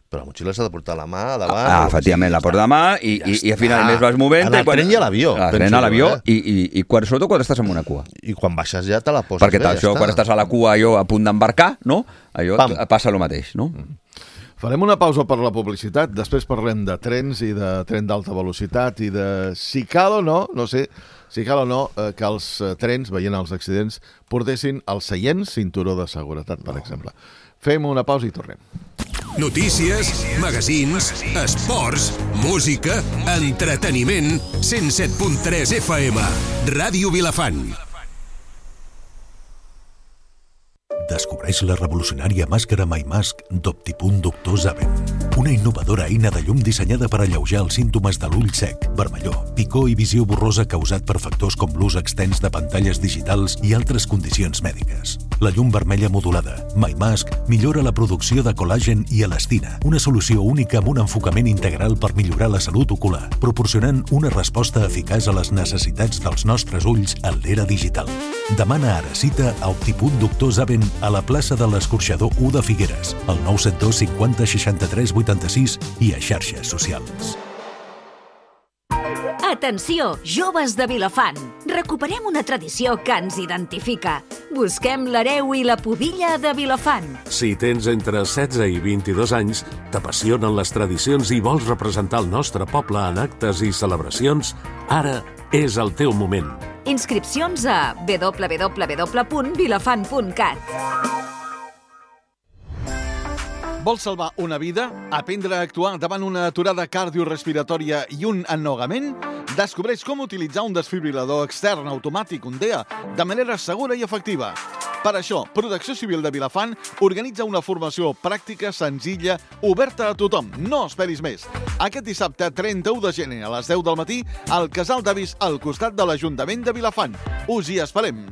Però la motxilla s'ha de portar a la mà, a davant... Ah, efectivament, la porta a mà i, i, i al final més vas movent... En el tren i a l'avió. El tren a l'avió i, i, i quan, sobretot quan estàs en una cua. I quan baixes ja te la poses Perquè bé, això, ja quan està. estàs a la cua allò a punt d'embarcar, no? Allò Pam. passa el mateix, no? Farem una pausa per la publicitat, després parlem de trens i de tren d'alta velocitat i de si cal o no, no sé, si cal o no, eh, que els eh, trens, veient els accidents, portessin els seients cinturó de seguretat, per exemple. Fem una pausa i tornem. Notícies, magazins, esports, música, entreteniment, cent set punt tres F M, Ràdio Vilafant. Descobreix la revolucionària màscara MyMask d'Optipunt Doctor Zaven. Una innovadora eina de llum dissenyada per alleujar els símptomes de l'ull sec, vermellor, picor i visió borrosa causat per factors com l'ús extens de pantalles digitals i altres condicions mèdiques. La llum vermella modulada, MyMask, millora la producció de col·làgen i elastina, una solució única amb un enfocament integral per millorar la salut ocular, proporcionant una resposta eficaç a les necessitats dels nostres ulls en l'era digital. Demana ara cita a Optipunt Doctor Zaven a la plaça de l'Escorxador u de Figueres, al nou set dos cinquanta seixanta-tres vuitanta-sis i a xarxes socials. Atenció, joves de Vilafant! Recuperem una tradició que ens identifica. Busquem l'hereu i la pubilla de Vilafant. Si tens entre setze i vint-i-dos anys, t'apassionen les tradicions i vols representar el nostre poble en actes i celebracions, ara és el teu moment. Inscripcions a w w w punt vilafant punt cat. Vols salvar una vida? Aprendre a actuar davant una aturada cardiorespiratòria i un ennogament? Descobreix com utilitzar un desfibrilador extern automàtic, un D E A, de manera segura i efectiva. Per això, Protecció Civil de Vilafant organitza una formació pràctica, senzilla, oberta a tothom. No esperis més. Aquest dissabte, trenta-u de gener, a les deu del matí, al Casal d'Avis, al costat de l'Ajuntament de Vilafant. Us hi esperem.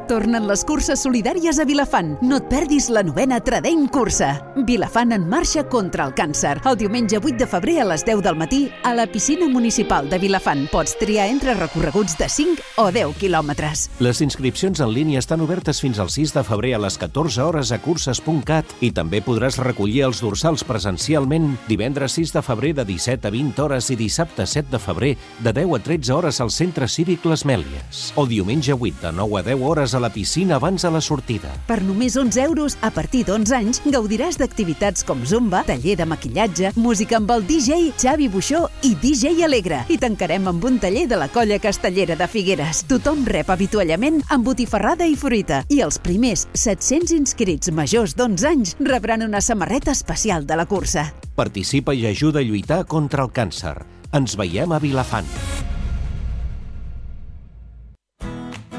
Tornen les curses solidàries a Vilafant. No et perdis la novena Tradent Cursa. Vilafant en marxa contra el càncer. El diumenge vuit de febrer a les deu del matí a la piscina municipal de Vilafant. Pots triar entre recorreguts de cinc o deu quilòmetres. Les inscripcions en línia estan obertes fins al sis de febrer a les catorze hores a curses punt cat i també podràs recollir els dorsals presencialment divendres sis de febrer de disset a vint hores i dissabte set de febrer de deu a tretze hores al Centre Cívic Les Mèlies. O diumenge vuit de nou a deu hores a la piscina abans de la sortida. Per només onze euros, a partir d'onze anys, gaudiràs d'activitats com zumba, taller de maquillatge, música amb el D J Xavi Buixó i D J Alegre. I tancarem amb un taller de la Colla Castellera de Figueres. Tothom rep avituallament amb botifarrada i fruita. I els primers set-cents inscrits majors d'onze anys rebran una samarreta especial de la cursa. Participa i ajuda a lluitar contra el càncer. Ens veiem a Vilafant.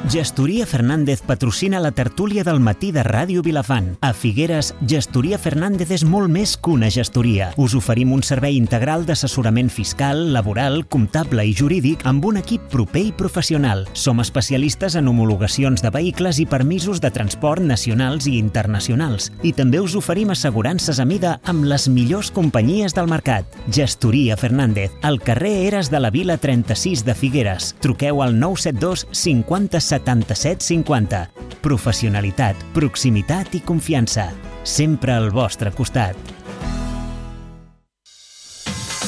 Gestoria Fernández patrocina la tertúlia del matí de Ràdio Vilafant. A Figueres, Gestoria Fernández és molt més que una gestoria. Us oferim un servei integral d'assessorament fiscal, laboral, comptable i jurídic amb un equip proper i professional. Som especialistes en homologacions de vehicles i permisos de transport nacionals i internacionals. I també us oferim assegurances a mida amb les millors companyies del mercat. Gestoria Fernández, al carrer Eres de la Vila trenta-sis de Figueres. Truqueu al nou set dos cinquanta setanta-set cinquanta. Professionalitat, proximitat i confiança. Sempre al vostre costat.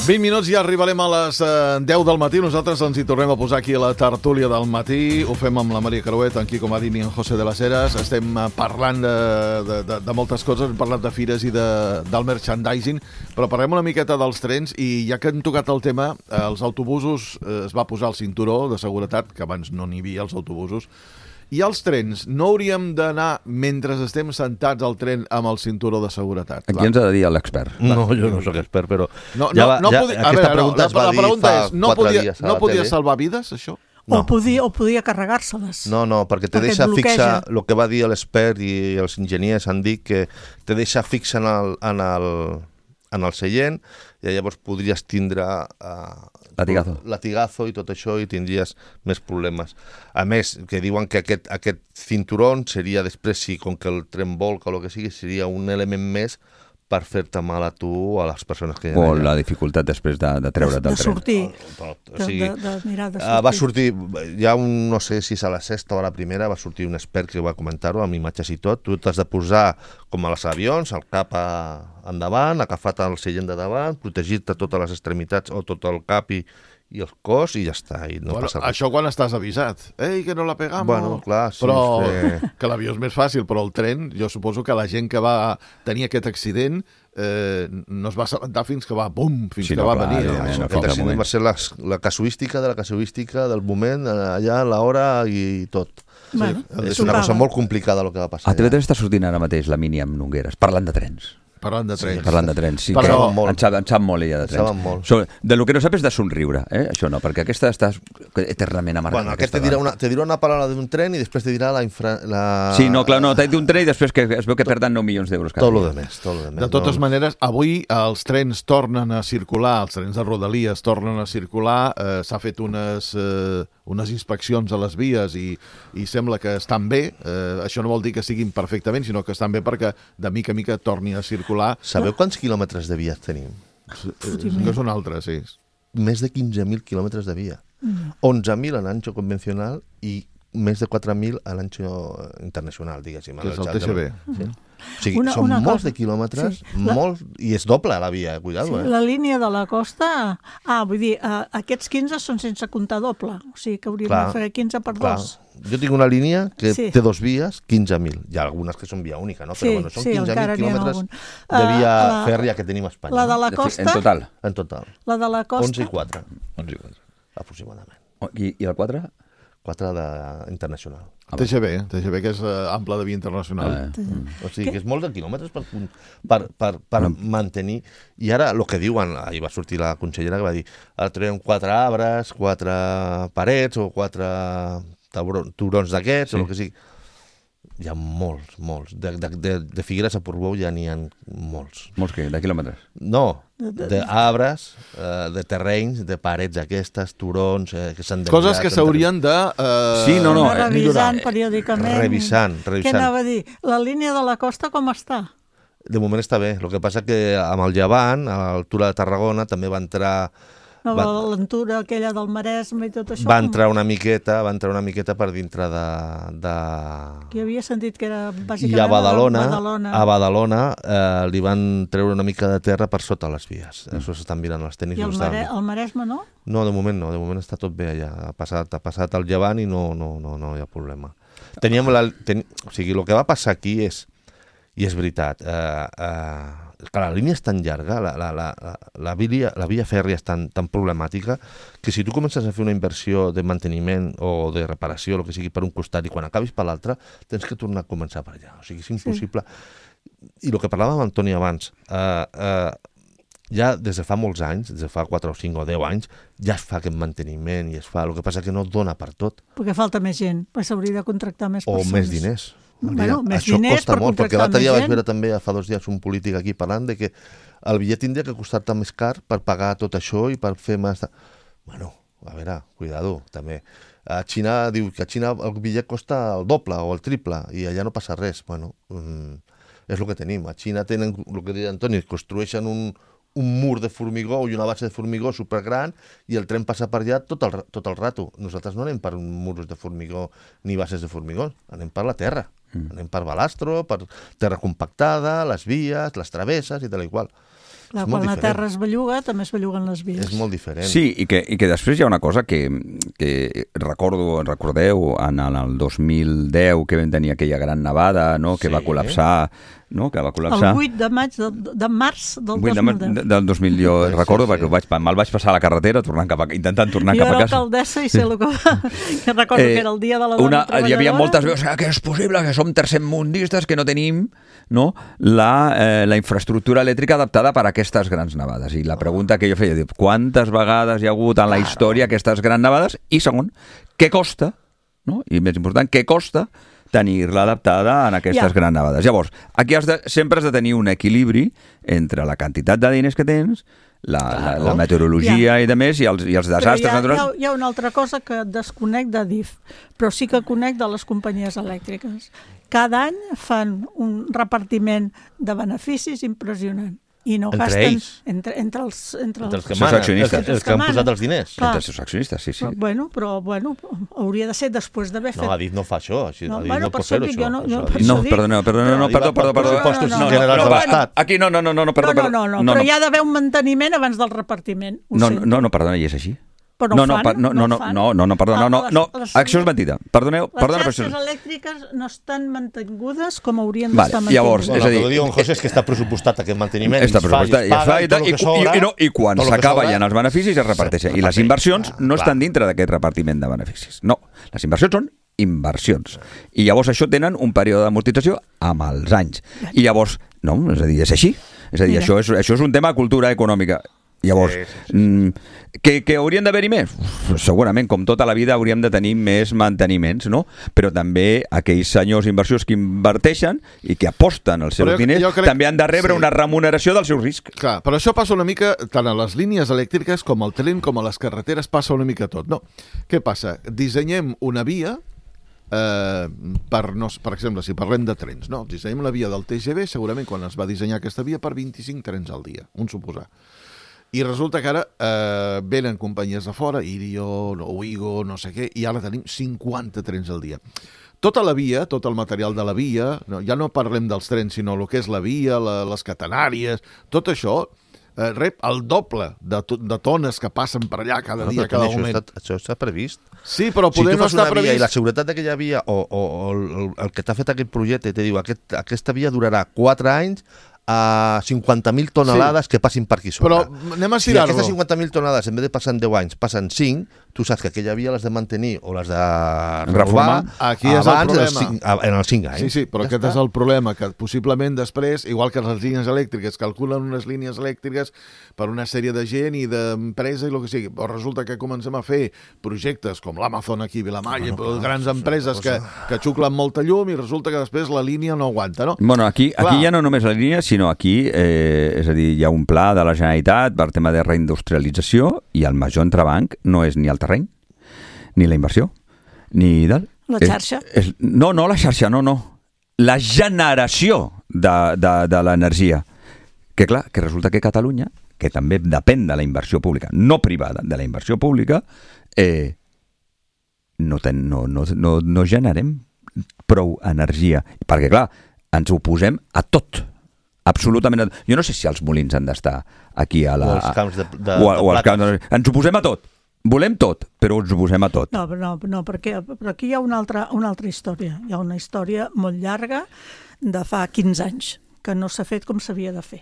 vint minuts i arribarem a les eh, deu del matí. Nosaltres ens hi tornem a posar aquí a la tertúlia del matí. Ho fem amb la Maria Caruet, en Quico Marín i en José de las Heras. Estem eh, parlant de, de, de, de moltes coses. Hem parlat de fires i de, del merchandising, però parlem una miqueta dels trens i ja que hem tocat el tema, eh, els autobusos eh, es va posar el cinturó de seguretat, que abans no n'hi havia els autobusos. I els trens, no hauríem d'anar mentre estem sentats al tren amb el cinturó de seguretat? Aquí ens ha de dir l'expert. No, jo no sóc expert, però... No, no, ja va, no ja, podia, aquesta veure, pregunta no, es va la, dir la pregunta fa és, no quatre podia, dies a no la podia tele. salvar vides, això? No. O podia, o podia carregar-se-les. No, no, perquè te Perquè deixa et bloqueja. fixa el que va dir l'expert i els enginyers han dit que te deixa fixa en el, en el, en el seient i llavors podries tindre uh, Latigazo. latigazo i tot això i tindries més problemes. A més, que diuen que aquest, aquest cinturón seria després, si com que el tren volca o el que sigui, seria un element més per fer-te mal a tu o a les persones que hi ha O allà. la dificultat després de, de treure't del de tren. sortir, Però, o de, sigui, de, de mirar de Uh, sortir. va sortir, hi ha un, no sé si és a la sexta o a la primera, va sortir un expert que va comentar-ho, amb imatges i tot. Tu t'has de posar, com als avions, el cap a, endavant, agafat el seient de davant, protegir-te totes les extremitats o tot el cap i, i el cos i ja està, i no bueno, passa res. això quan estàs avisat. Ei, que no la pegamos. Bueno, clar, sí, però és que l'avió és més fàcil, però el tren, jo suposo que la gent que va tenir aquest accident eh, no es va assabentar fins que va, bum, fins Sí, que no, va clar, venir. evidentment, No? no, Aquest fins al accident moment. va ser la, la casuística de la casuística del moment, allà, l'hora i tot. Bueno, És s'ho una cosa paga. molt complicada el que va passar A T V allà. tres està sortint ara mateix la Mini amb Nogueres, parlant de trens. Parlant de trens. Parlant de trens, sí. Però- que Saben molt. En sap, en sap molt ella de trens. Saben molt. So, de lo que no sap és de somriure, eh? Això no, perquè aquesta està eternament amargada. Bueno, aquest aquesta te dirà, dona. una, te dirà una paraula d'un tren i després te dirà la... Infra, la... Sí, no, clar, no, t'ha dit un tren i després que es veu que perden nou milions d'euros cada Tot lo dia. de més, tot lo de més. De totes no? maneres, avui els trens tornen a circular, els trens de Rodalies tornen a circular, eh, s'ha fet unes, eh, unes inspeccions a les vies i, i sembla que estan bé. Eh, això no vol dir que siguin perfectament, sinó que estan bé perquè de mica a mica torni a circular. Sabeu quants quilòmetres de via tenim? Eh, que són altres, sí. Més de quinze mil quilòmetres de via. onze mil en ancho convencional i més de quatre mil a l'ancho internacional, diguéssim. Que és el T G V. Sí. O sigui, Una- són una molts cosa. de quilòmetres, Sí. La- molts, i és doble la via, cuidado, Sí, eh? la línia de la costa... Ah, vull dir, eh, aquests quinze són sense comptar doble. O sigui que hauríem Clar, de fer quinze per Clar. dos. Jo tinc una línia que Sí. té dos vies, quinze mil. Hi ha algunes que són via única, no? Però Sí, bueno, són sí, quinze encara mil n'hi ha quilòmetres algun. de via Uh, la- fèrria que tenim a Espanya. La de la De fi- costa... En total. En total. La de la costa... onze i quatre, onze i quatre. aproximadament. Oh, I, I el quatre? quatre de internacional. T G V, T G V, que és eh, ample de via internacional. Eh, mm. O sigui, que és molts de quilòmetres per, per, per, per mantenir... I ara, el que diuen, ahir va sortir la consellera que va dir ara traiem quatre arbres, quatre parets o quatre taurons, turons d'aquests, Sí. o el que sigui. Hi ha molts, molts. De, de, de, de Figueres a Portbou ja n'hi ha molts. Molts que, de quilòmetres. No, d'arbres, eh, de terrenys, de parets aquestes, turons, eh, que s'han Coses desviat, que s'haurien de... Eh, Sí, no, no, Anar eh, revisant millorar. periòdicament. Revisant, Què revisant. anava a dir? La línia de la costa com està? De moment està bé. El que passa que amb el Llevant, a l'altura de Tarragona, també va entrar... No, Va- L'aventura aquella del Maresme i tot això? va com- entrar una miqueta, va entrar una miqueta per dintre de... de... Que havia sentit que era bàsicament... I a Badalona, Badalona. a Badalona eh, li van treure una mica de terra per sota les vies. Això s'estan mirant els tenis. I el, ho estan- Mare, el Maresme, no? No, de moment no, de moment està tot bé allà. Ha passat, ha passat el llevant i no, no, no, no hi ha problema. Teníem la, ten... O sigui, el que va passar aquí és, i és veritat, eh, eh, que la línia és tan llarga, la, la, la, la, la, via, la via fèrria és tan, tan problemàtica, que si tu comences a fer una inversió de manteniment o de reparació, el que sigui, per un costat, i quan acabis per l'altre, tens que tornar a començar per allà. O sigui, és impossible. Sí. I el que parlàvem amb Antoni abans, eh, eh, ja des de fa molts anys, des de fa quatre o cinc o deu anys, ja es fa aquest manteniment i es fa, el que passa que no dona per tot, Perquè falta més gent, perquè s'hauria de contractar més o persones. més diners. Bueno, Mira, més això diners costa per molt, perquè contractar l'altre dia més vaig gent. veure també fa dos dies un polític aquí parlant de que el bitllet tindria que costar-te més car per pagar tot això i per fer més... De... Bueno, a veure, cuidado, també. A Xina diu que a Xina el bitllet costa el doble o el triple i allà no passa res. Bueno, mm, és el que tenim. A Xina tenen, el que deia Antoni, construeixen un, un mur de formigó i una base de formigó supergran i el tren passa per allà tot el, tot el rato. Nosaltres no anem per murs de formigó ni bases de formigó, anem per la terra. Mm. Anem per balastro, per terra compactada, les vies, les travesses i tal i qual. Clar, és molt quan la diferent. terra es belluga, també es belluguen les vies. És molt diferent. Sí, i que, i que després hi ha una cosa que, que recordo, recordeu, en, en el dos mil deu que vam tenir aquella gran nevada, no?, que Sí. va col·lapsar, no?, que va El col·lapsar. vuit de maig, de, de març del vuit dos de mil maig deu. de- del dos mil, jo Sí, recordo, sí. perquè ho vaig, me'l vaig passar a la carretera tornant cap a, intentant tornar Jo cap a era casa. alcaldessa i sé el que va... que recordo Eh, que era el dia de la dona una, treballadora. hi havia moltes veus "Ah, que és possible que som tercermundistes, que no tenim, no, la, eh, la infraestructura elèctrica adaptada per a aquestes grans nevades. I la pregunta que jo feia, dic, quantes vegades hi ha hagut en la història aquestes grans nevades? I segon, què costa, no? I més important, què costa tenir-la adaptada en aquestes Ja. grans nevades? Llavors, aquí has de, sempre has de tenir un equilibri entre la quantitat de diners que tens, la, la, la meteorologia ja. i de més, i els, i els desastres ha, naturals. Hi ha, hi ha una altra cosa que desconec de D I F, però sí que conec de les companyies elèctriques. Cada any fan un repartiment de beneficis impressionant. I no entre gasten, ells? Entre, entre, els, entre, entre els que manen, els, els, els que han posat els diners. Clar. Entre els seus accionistes, sí, sí. Però, bueno, però bueno, hauria de ser després d'haver fet... No, Adif no fa això. Així, no, Adif bueno, no pot fer-ho, això. No, no, no, no perdoneu, perdoneu, no, perdó, perdó, perdó. Pressupostos No, generals de l'Estat. Aquí no, no, no, no, perdó, no, perdó. no, no, però hi ha d'haver un manteniment abans del repartiment. No, no, no, perdona, i és així. Però no, no, no, fan, no, no, no, no, no, no, perdona, no, no, no, això és mentida. Perdoneu, perdona, les xarxes elèctriques no estan mantingudes com haurien vale, d'estar mantingudes. Llavors, bueno, és a dir, el que diu en José és que està pressupostat aquest manteniment, està pressupostat, i es paga, i, i, i, i, i, no, i quan s'acaba ja els beneficis es reparteixen. I les inversions no estan dintre d'aquest repartiment de beneficis. No, les inversions són inversions. I llavors això tenen un període d'amortització amb els anys. I llavors, no, és a dir, és així. És a dir, això és, això és un tema de cultura econòmica. Llavors, sí, sí, sí. Mm, que, que haurien d'haver-hi més? Segurament, com tota la vida, hauríem de tenir més manteniments, no? Però també aquells senyors inversors que inverteixen i que aposten els seus diners crec... també han de rebre sí. una remuneració del seu risc. Clar, però això passa una mica, tant a les línies elèctriques com al tren, com a les carreteres, passa una mica tot, no? Què passa? Dissenyem una via, eh, per, no, per exemple, si parlem de trens, no? Dissenyem la via del T G V, segurament quan es va dissenyar aquesta via, per vint-i-cinc trens al dia, un suposar. I resulta que ara eh, venen companyies de fora, Irion, Ouigo, no sé què, i ara tenim cinquanta trens al dia. Tota la via, tot el material de la via, no, ja no parlem dels trens, sinó el que és la via, la, les catenàries, tot això eh, rep el doble de, de tones que passen per allà cada no, dia, cada això moment. Està, això està previst. Sí, però poder si no està previst... I la seguretat d'aquella via, o, o, o el, el que t'ha fet aquest projecte, te diu, aquest, aquesta via durarà quatre anys, a cinquanta mil tonelades sí. que passin per aquí sobre. Però anem a estirar-lo. Si aquestes cinquanta mil tonelades, en vez de passar en deu anys, passen cinc, tu saps que aquella via l'has de mantenir o l'has de reformar aquí és el problema. cinc, en els cinc anys. Sí, sí, però ja aquest està. És el problema, que possiblement després, igual que les línies elèctriques, calculen unes línies elèctriques per una sèrie de gent i d'empresa i el que sigui, però resulta que comencem a fer projectes com l'Amazon aquí a Vilamalla, no, no, grans no, empreses que, que xuclen molta llum i resulta que després la línia no aguanta, no? Bueno, aquí, aquí ja no només la línia, sinó aquí, eh, és a dir, hi ha un pla de la Generalitat per tema de reindustrialització i el major entrebanc no és ni el terreny, ni la inversió, ni del... La xarxa? És, és, no, no la xarxa, no, no. La generació de, de, de l'energia. Que clar, que resulta que Catalunya, que també depèn de la inversió pública, no privada, de la inversió pública, eh, no, ten, no, no, no, no generem prou energia. Perquè clar, ens oposem a tot. Absolutament. Jo no sé si els molins han d'estar aquí a la... O els camps de, de, o, de o els camps de, ens oposem a tot. Volem tot, però ens oposem a tot. No, no, no perquè, però aquí hi ha una altra, una altra història. Hi ha una història molt llarga de fa quinze anys, que no s'ha fet com s'havia de fer.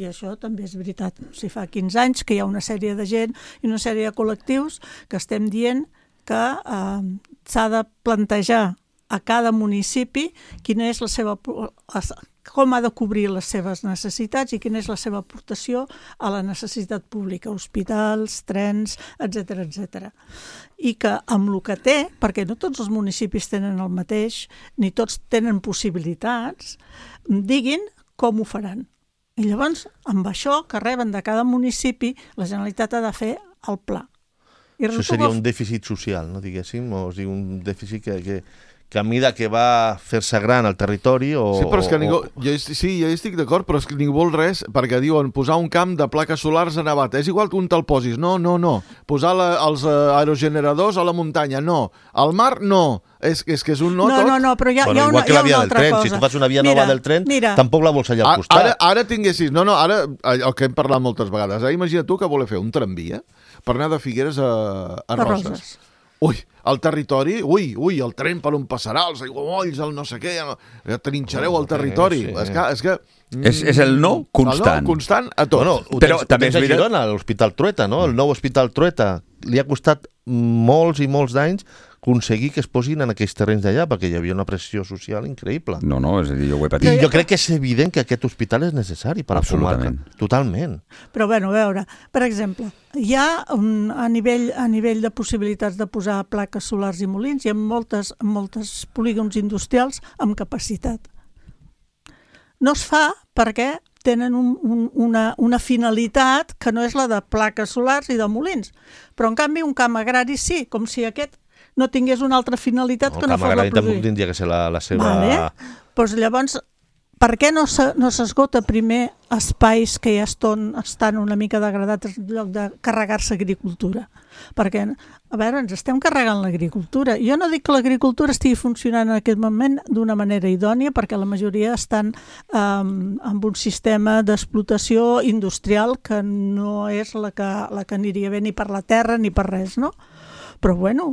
I això també és veritat. O sigui, fa quinze anys que hi ha una sèrie de gent i una sèrie de col·lectius que estem dient que eh, s'ha de plantejar a cada municipi quina és la seva... com ha de cobrir les seves necessitats i quina és la seva aportació a la necessitat pública, hospitals, trens, etcètera, etcètera. I que amb el que té, perquè no tots els municipis tenen el mateix, ni tots tenen possibilitats, diguin com ho faran. I llavors, amb això que reben de cada municipi, la Generalitat ha de fer el pla. I això seria un dèficit social, no diguéssim? O sigui, un dèficit que... que... que a mida que va fer-se gran al territori o... Sí, però és que ningú... O... Jo, sí, jo estic d'acord, però és que ningú vol res, perquè diuen posar un camp de plaques solars a Navata. És igual que un te'l posis. No, no, no. Posar la, els uh, aerogeneradors a la muntanya. No. Al mar, no. És, és que és un no, no tot. No, no, però hi ha, bueno, hi ha una, una, hi ha una altra tren. cosa. Si tu fas una via mira, nova del tren, mira. tampoc la vols allà al costat. Ara, ara tinguessis... No, no, ara, el que hem parlat moltes vegades. Ara imagina tu que voler fer un tramvia per anar de Figueres a, a Roses. Roses. Ui, el territori, ui, ui, el tren per on passarà, els aiguamolls, el no sé què, trinxareu el territori. Sí, sí. És que... És, que, és, és el no constant. El no constant a tot. Bueno, ho però tens, també ho tens a Girona, l'Hospital Trueta, no? El nou Hospital Trueta. Li ha costat molts i molts d'anys aconseguir que es posin en aquells terrenys d'allà, perquè hi havia una pressió social increïble. No, no, és a dir, jo ho he patit. I jo crec que és evident que aquest hospital és necessari per a la comarca. Totalment. Però, bueno, a veure, per exemple, hi ha un, a, nivell, a nivell de possibilitats de posar plaques solars i molins, hi ha moltes, moltes polígons industrials amb capacitat. No es fa perquè tenen un, un, una, una finalitat que no és la de plaques solars i de molins. Però, en canvi, un camp agrari sí, com si aquest no tingués una altra finalitat no, que no fos la produir. El camp agrari tampoc tindria que ser la, la seva... Vale. Pues llavors, per què no s'esgota primer espais que ja eston, estan una mica degradats en lloc de carregar-se agricultura? Perquè, a veure, ens estem carregant l'agricultura. Jo no dic que l'agricultura estigui funcionant en aquest moment d'una manera idònia, perquè la majoria estan um, amb un sistema d'explotació industrial que no és la que, la que aniria bé ni per la terra ni per res, no? Però, bueno,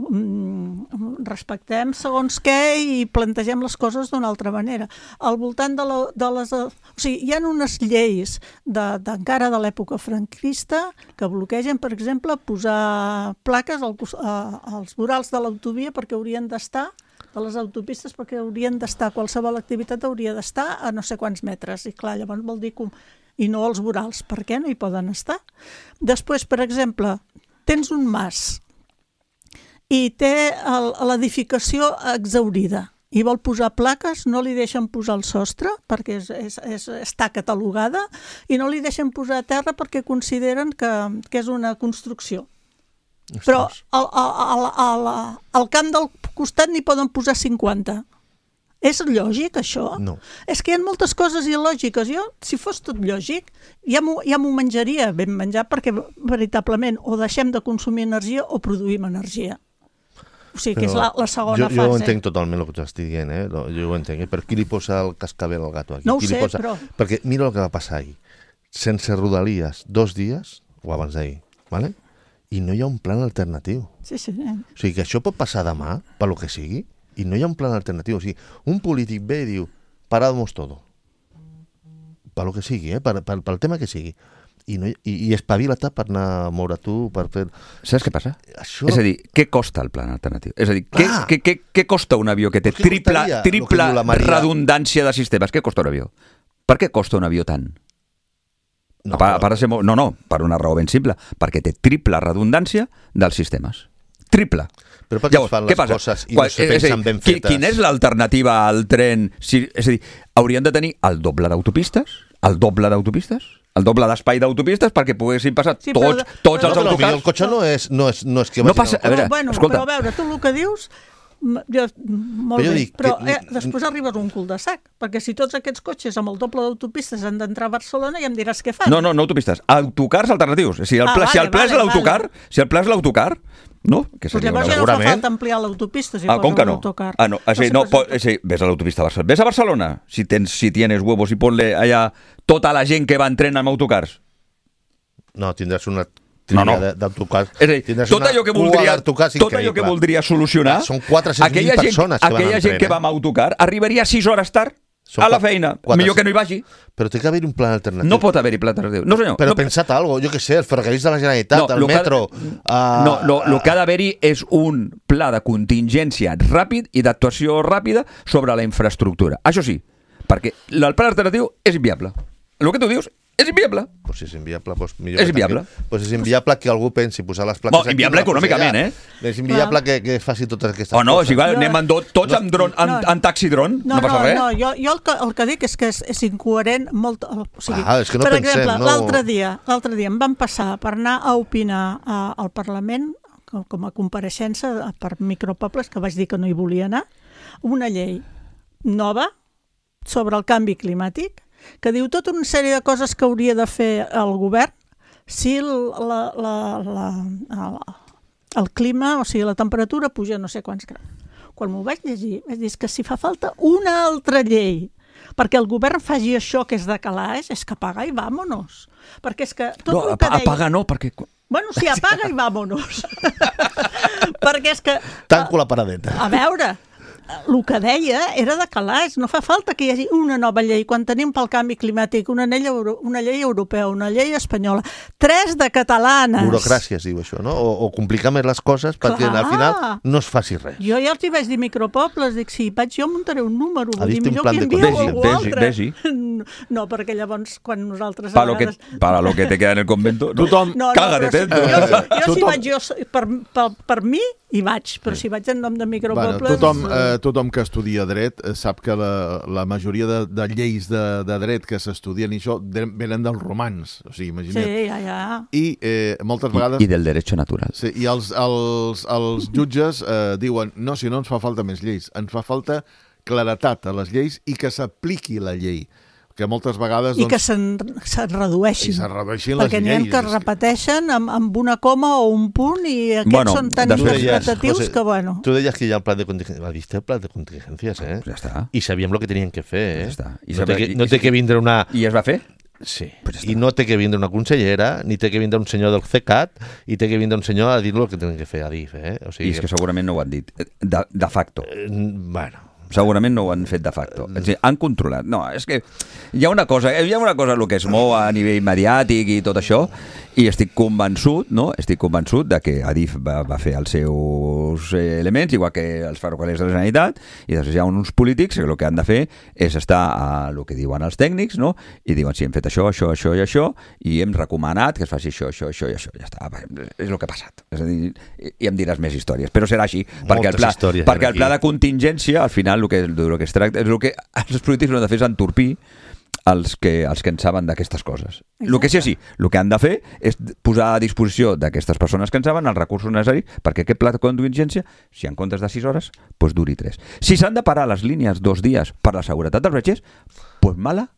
respectem segons què i plantegem les coses d'una altra manera. Al voltant de, la, de les... O sigui, hi ha unes lleis de, de, encara de l'època franquista que bloquegen, per exemple, posar plaques al, a, als vorals de l'autovia perquè haurien d'estar, de les autopistes, perquè haurien d'estar, qualsevol activitat hauria d'estar a no sé quants metres. I clar, llavors vol dir que... I no als vorals. Per què no hi poden estar? Després, per exemple, tens un mas i té l'edificació exhaurida i vol posar plaques, no li deixen posar el sostre perquè és, és, és, està catalogada i no li deixen posar a terra perquè consideren que, que és una construcció. Ostres. Però al, al, al, al camp del costat n'hi poden posar cinquanta. És lògic, això? No. És que hi ha moltes coses il·lògiques. Jo, si fos tot lògic, ja m'ho ja m'ho menjaria ben menjat perquè veritablement o deixem de consumir energia o produïm energia. O sigui, que és la, la segona jo, fase. Jo ho entenc totalment el que tu estàs dient, eh? Jo ho entenc, eh? Però qui li posa el cascabel al gato aquí? No ho qui sé, li posa... però... Perquè mira el que va passar ahir. Sense Rodalies, dos dies, o abans d'ahir, ¿vale? I no hi ha un plan alternatiu. Sí, sí. Eh? O sigui, que això pot passar demà, per lo que sigui, i no hi ha un plan alternatiu. O sigui, un polític ve i diu, paramos todo. Per lo que sigui, eh? Per, per, pel tema que sigui. I, no, i, i espavila-te per anar a moure tu, per fer... Saps què passa? Això... És a dir, què costa el plan alternatiu? És a dir, què, ah. què, què, què costa un avió que té triple, triple redundància de sistemes? Què costa un avió? Per què costa un avió tant? No, a part, a part de ser molt... no, no, per una raó ben simple. Perquè té triple redundància dels sistemes. Triple. Però per què Llavors, es fan què les passa? coses i no se pensen ben fetes? Quina és l'alternativa al tren? Si, és a dir, haurien de tenir el doble d'autopistes? El doble d'autopistes? El doble d'espai d'autopistes perquè poguessin passar sí, tots, però, tots però, els però, autocars. El cotxe no és, no és, no és que no passa, a veure, bueno, escolta. Però a veure, tu el que dius, jo, molt però bé, dic, però que... eh, després arribes a un cul de sac, perquè si tots aquests cotxes amb el doble d'autopistes han d'entrar a Barcelona ja em diràs què fan. No, no, no autopistes, autocars alternatius. Si el, ah, pla, vale, si el pla vale, és l'autocar, vale. si el pla és l'autocar, no? Que pues llavors ja no fa falta ampliar l'autopista si ah, com que no? l'autocar. Ah, no, així, no, po, així, ves a l'autopista a Barcelona. Ves a Barcelona, si, tens, si tienes huevos i ponle allà tota la gent que va en tren amb autocars. No, tindràs una no, no. d'autocars. És a dir, tot allò que voldria, tot allò que voldria solucionar, són quatre-cents mil persones que van aquella gent que va amb autocar arribaria sis hores tard a la feina. Millor que no hi vagi. Però té que haver un plan alternatiu. No pot haver-hi pla alternatiu. No, senyor. Però no... pensat algo, jo què sé, els ferrocarrils de la Generalitat, no, el metro... Ha... Uh... No, no, el que ha d'haver-hi és un pla de contingència ràpid i d'actuació ràpida sobre la infraestructura. Això sí, perquè el pla alternatiu és inviable. El que tu dius és inviable. Pues si és inviable, pues millor és inviable. Pues és inviable que algú pensi posar les plaques no, aquí. Inviable econòmicament, eh? És inviable que, que faci totes aquestes oh, no, coses. O sigui, anem no, tots no, amb, dron, amb, no, amb taxi dron, no, no passa no, res. No, jo, jo el, que, el que dic és que és, és incoherent molt... O sigui, ah, és que no per pensem, exemple, no... l'altre dia, l'altre dia em van passar per anar a opinar a, al Parlament com, com a compareixença per micropobles, que vaig dir que no hi volia anar, una llei nova sobre el canvi climàtic que diu tota una sèrie de coses que hauria de fer el govern si la, la, la, la, el clima, o sigui, la temperatura puja no sé quants graus. Quan m'ho vaig llegir, vaig dir que si fa falta una altra llei perquè el govern faci això que és de calaix, és que apaga i vámonos. Perquè és que tot no, el que deia... apaga no, perquè... Bueno, sí, apaga i vámonos. Perquè és que... Tanco la paradeta. A veure... El que deia era de calaix, no fa falta que hi hagi una nova llei, quan tenim pel canvi climàtic una llei, euro, una llei europea, una llei espanyola, tres de catalanes. Burocràcia es diu això, no? O, o complicar més les coses perquè Clar. Al final no es faci res. Jo ja els hi vaig dir micropobles, dic, si vaig jo muntaré un número, vull dir, millor que envieu algú vegi, altre. Vegi. no, perquè llavors quan nosaltres... Para lo que, para lo que te queda en el convento, no, Tothom... No, no, cágate però si, dentro. jo, jo si Tothom- vaig jo, per, per, per mi, hi vaig, però si vaig en nom de Bueno, micropobles... tothom, eh, tothom que estudia dret eh, sap que la, la majoria de, de lleis de, de dret que s'estudien i això de- venen dels romans, o sigui, imagina't. Sí, ja, ja. I eh, moltes vegades... I, I del derecho natural. Sí, i els, els, els jutges eh, diuen, no, si no ens fa falta més lleis, ens fa falta claretat a les lleis i que s'apliqui la llei, que moltes vegades... I doncs, que se'n, se'n redueixin. I se'n redueixin les perquè n'hi ha lleis. que es repeteixen amb, amb una coma o un punt i aquests Bueno, són tan de fet- interpretatius José, que, bueno... Tú decías que ya el plan de contingencias, ¿viste el plan de contingencias, eh? Pues ya está. Y sabían lo que tenían que fer, eh? Ja està. I no sabe- té que, i- no té que vindre una... I es va fer? Sí, Pues ja i està. no té que vindre una consellera, ni té que vindre un senyor del C E C A T, i té que vindre un senyor a dir-lo el que tenen que fer, a dir, eh? O I sigui, és que segurament no ho han dit. De, de facto. eh, bueno... Segurament no ho han fet de facto. És a dir, han controlat. No, és que hi ha una cosa, hi ha una cosa el que es mou a nivell mediàtic i tot això, i estic convençut, no? Estic convençut de que Adif va, va fer els seus elements, igual que els ferrocarrils de la Generalitat, i després hi ha uns polítics que el que han de fer és estar a el que diuen els tècnics, no? I diuen, sí, hem fet això, això, això i això, i hem recomanat que es faci això, això, això i això. Ja està, és el que ha passat. És a dir, i em diràs més històries, però serà així, perquè el pla, històries perquè el aquí. pla de contingència, al final, el que, el que es tracta, és el que els polítics no han de fer és entorpir els que, els que en saben d'aquestes coses. El que sí, sí, el que han de fer és posar a disposició d'aquestes persones que en saben els recursos necessaris perquè aquest pla de contingència, si en comptes de sis hores, doncs duri tres. Si s'han de parar les línies dos dies per la seguretat dels viatgers, doncs mala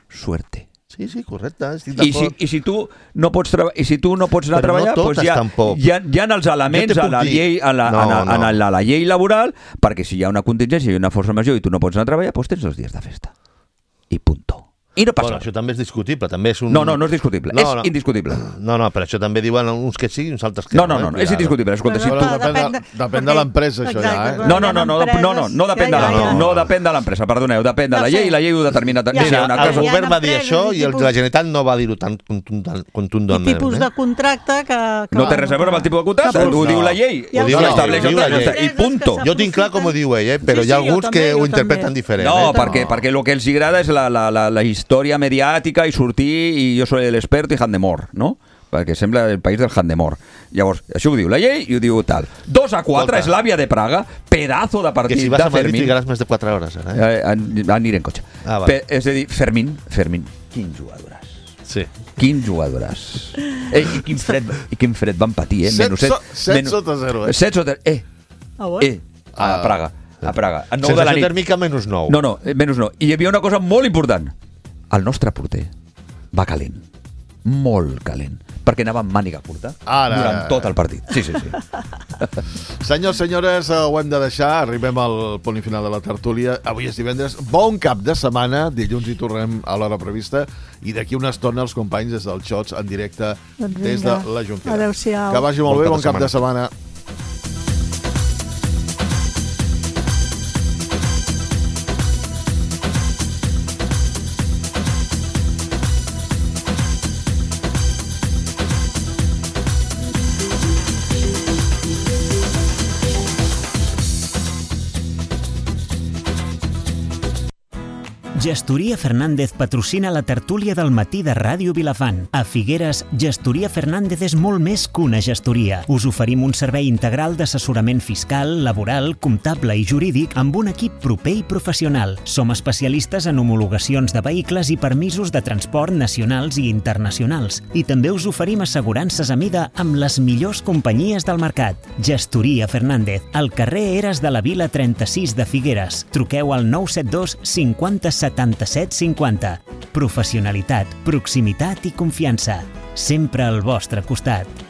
suerte. Sí, sí, correcte. Estic I si, d'acord. i si tu no pots treba- i si tu no pots anar Però a treballar, no doncs totes, hi, ha, tampoc. hi, ha, hi ha els elements Jo te a puc la dir- llei a la, No, a, la, no. a la, la llei laboral, perquè si hi ha una contingència i una força major i tu no pots anar a treballar, doncs tens dos dies de festa. I punto. I no passa Bueno, res. això també és discutible, també és un... No, no, no és discutible, No, és no. indiscutible. No, no, per això també diuen uns que sí i uns altres que No, no, no, eh? no és Cuidado. indiscutible. Escolta, si Bueno, tu... Però depèn de- depèn de- depèn de perquè- l'empresa, això ja, exacte, eh? quan No, no, hi ha no, no, no, no, no, no depèn de ja, ja, la, ja. no depèn de l'empresa, perdoneu, depèn de Ja la ho llei sé. i la llei ho determina. Ja, Mira, ja, una El cosa... hi ha govern va dir empreses això i i el, tipus- la Generalitat no va dir-ho tan contundent- I contundentment. tipus de contracte que... que No té res a veure amb el tipus de contracte, que- ho diu la llei, Ja ho ho diu sé, l'estableix ho el diu la contracte, llei. i punto. Jo tinc clar com ho diu ell, eh? però Sí, hi ha sí, jo alguns també, que jo ho també. interpreten diferent. No, eh? perquè, perquè el que els agrada és la, la, la, la història mediàtica i sortir i jo soy el experto i Handemor, no? Perquè sembla el país del Handemor. Llavors, això ho diu la llei i ho diu tal. dos a quatre Escolta. és l'àvia de Praga, pedazo de Que partit si vas de a Madrid Fermín. trigaràs més de quatre hores, ara, eh? Eh, an- aniré en cotxe. Ah, vale. Pe- és a dir, Fermín, Fermín, quin jugadores. Sí. Quin jugadores. Eh, i, quin fred, I quin fred van patir, eh? Set Menys so- set sota zero, eh? set sota... Eh, Ah, bueno. eh, a Ah. Praga. A Praga. A nou de la Sensació nit. tèrmica menys nou. No, no, eh, menys no. I hi havia una cosa molt important. El nostre porter va calent. Molt calent. Perquè anava amb màniga curta Ara. durant tot el partit. Sí, sí, sí. Senyors, senyores, eh, ho hem de deixar. Arribem al punt i final de la tertúlia. Avui és divendres. Bon cap de setmana. Dilluns hi tornem a l'hora prevista. I d'aquí una estona els companys des del Xots en directe Doncs des de vinga. la Jonquera. Adéu-siau. Que vagi molt Bon bé. cap Bon de cap de setmana. Gestoria Fernández patrocina la tertúlia del matí de Ràdio Vilafant. A Figueres, Gestoria Fernández és molt més que una gestoria. Us oferim un servei integral d'assessorament fiscal, laboral, comptable i jurídic amb un equip proper i professional. Som especialistes en homologacions de vehicles i permisos de transport nacionals i internacionals. I també us oferim assegurances a mida amb les millors companyies del mercat. Gestoria Fernández, al carrer Eres de la Vila trenta-sis de Figueres. Truqueu al nou set dos cinquanta setanta-set cinquanta. Professionalitat, proximitat i confiança. Sempre al vostre costat.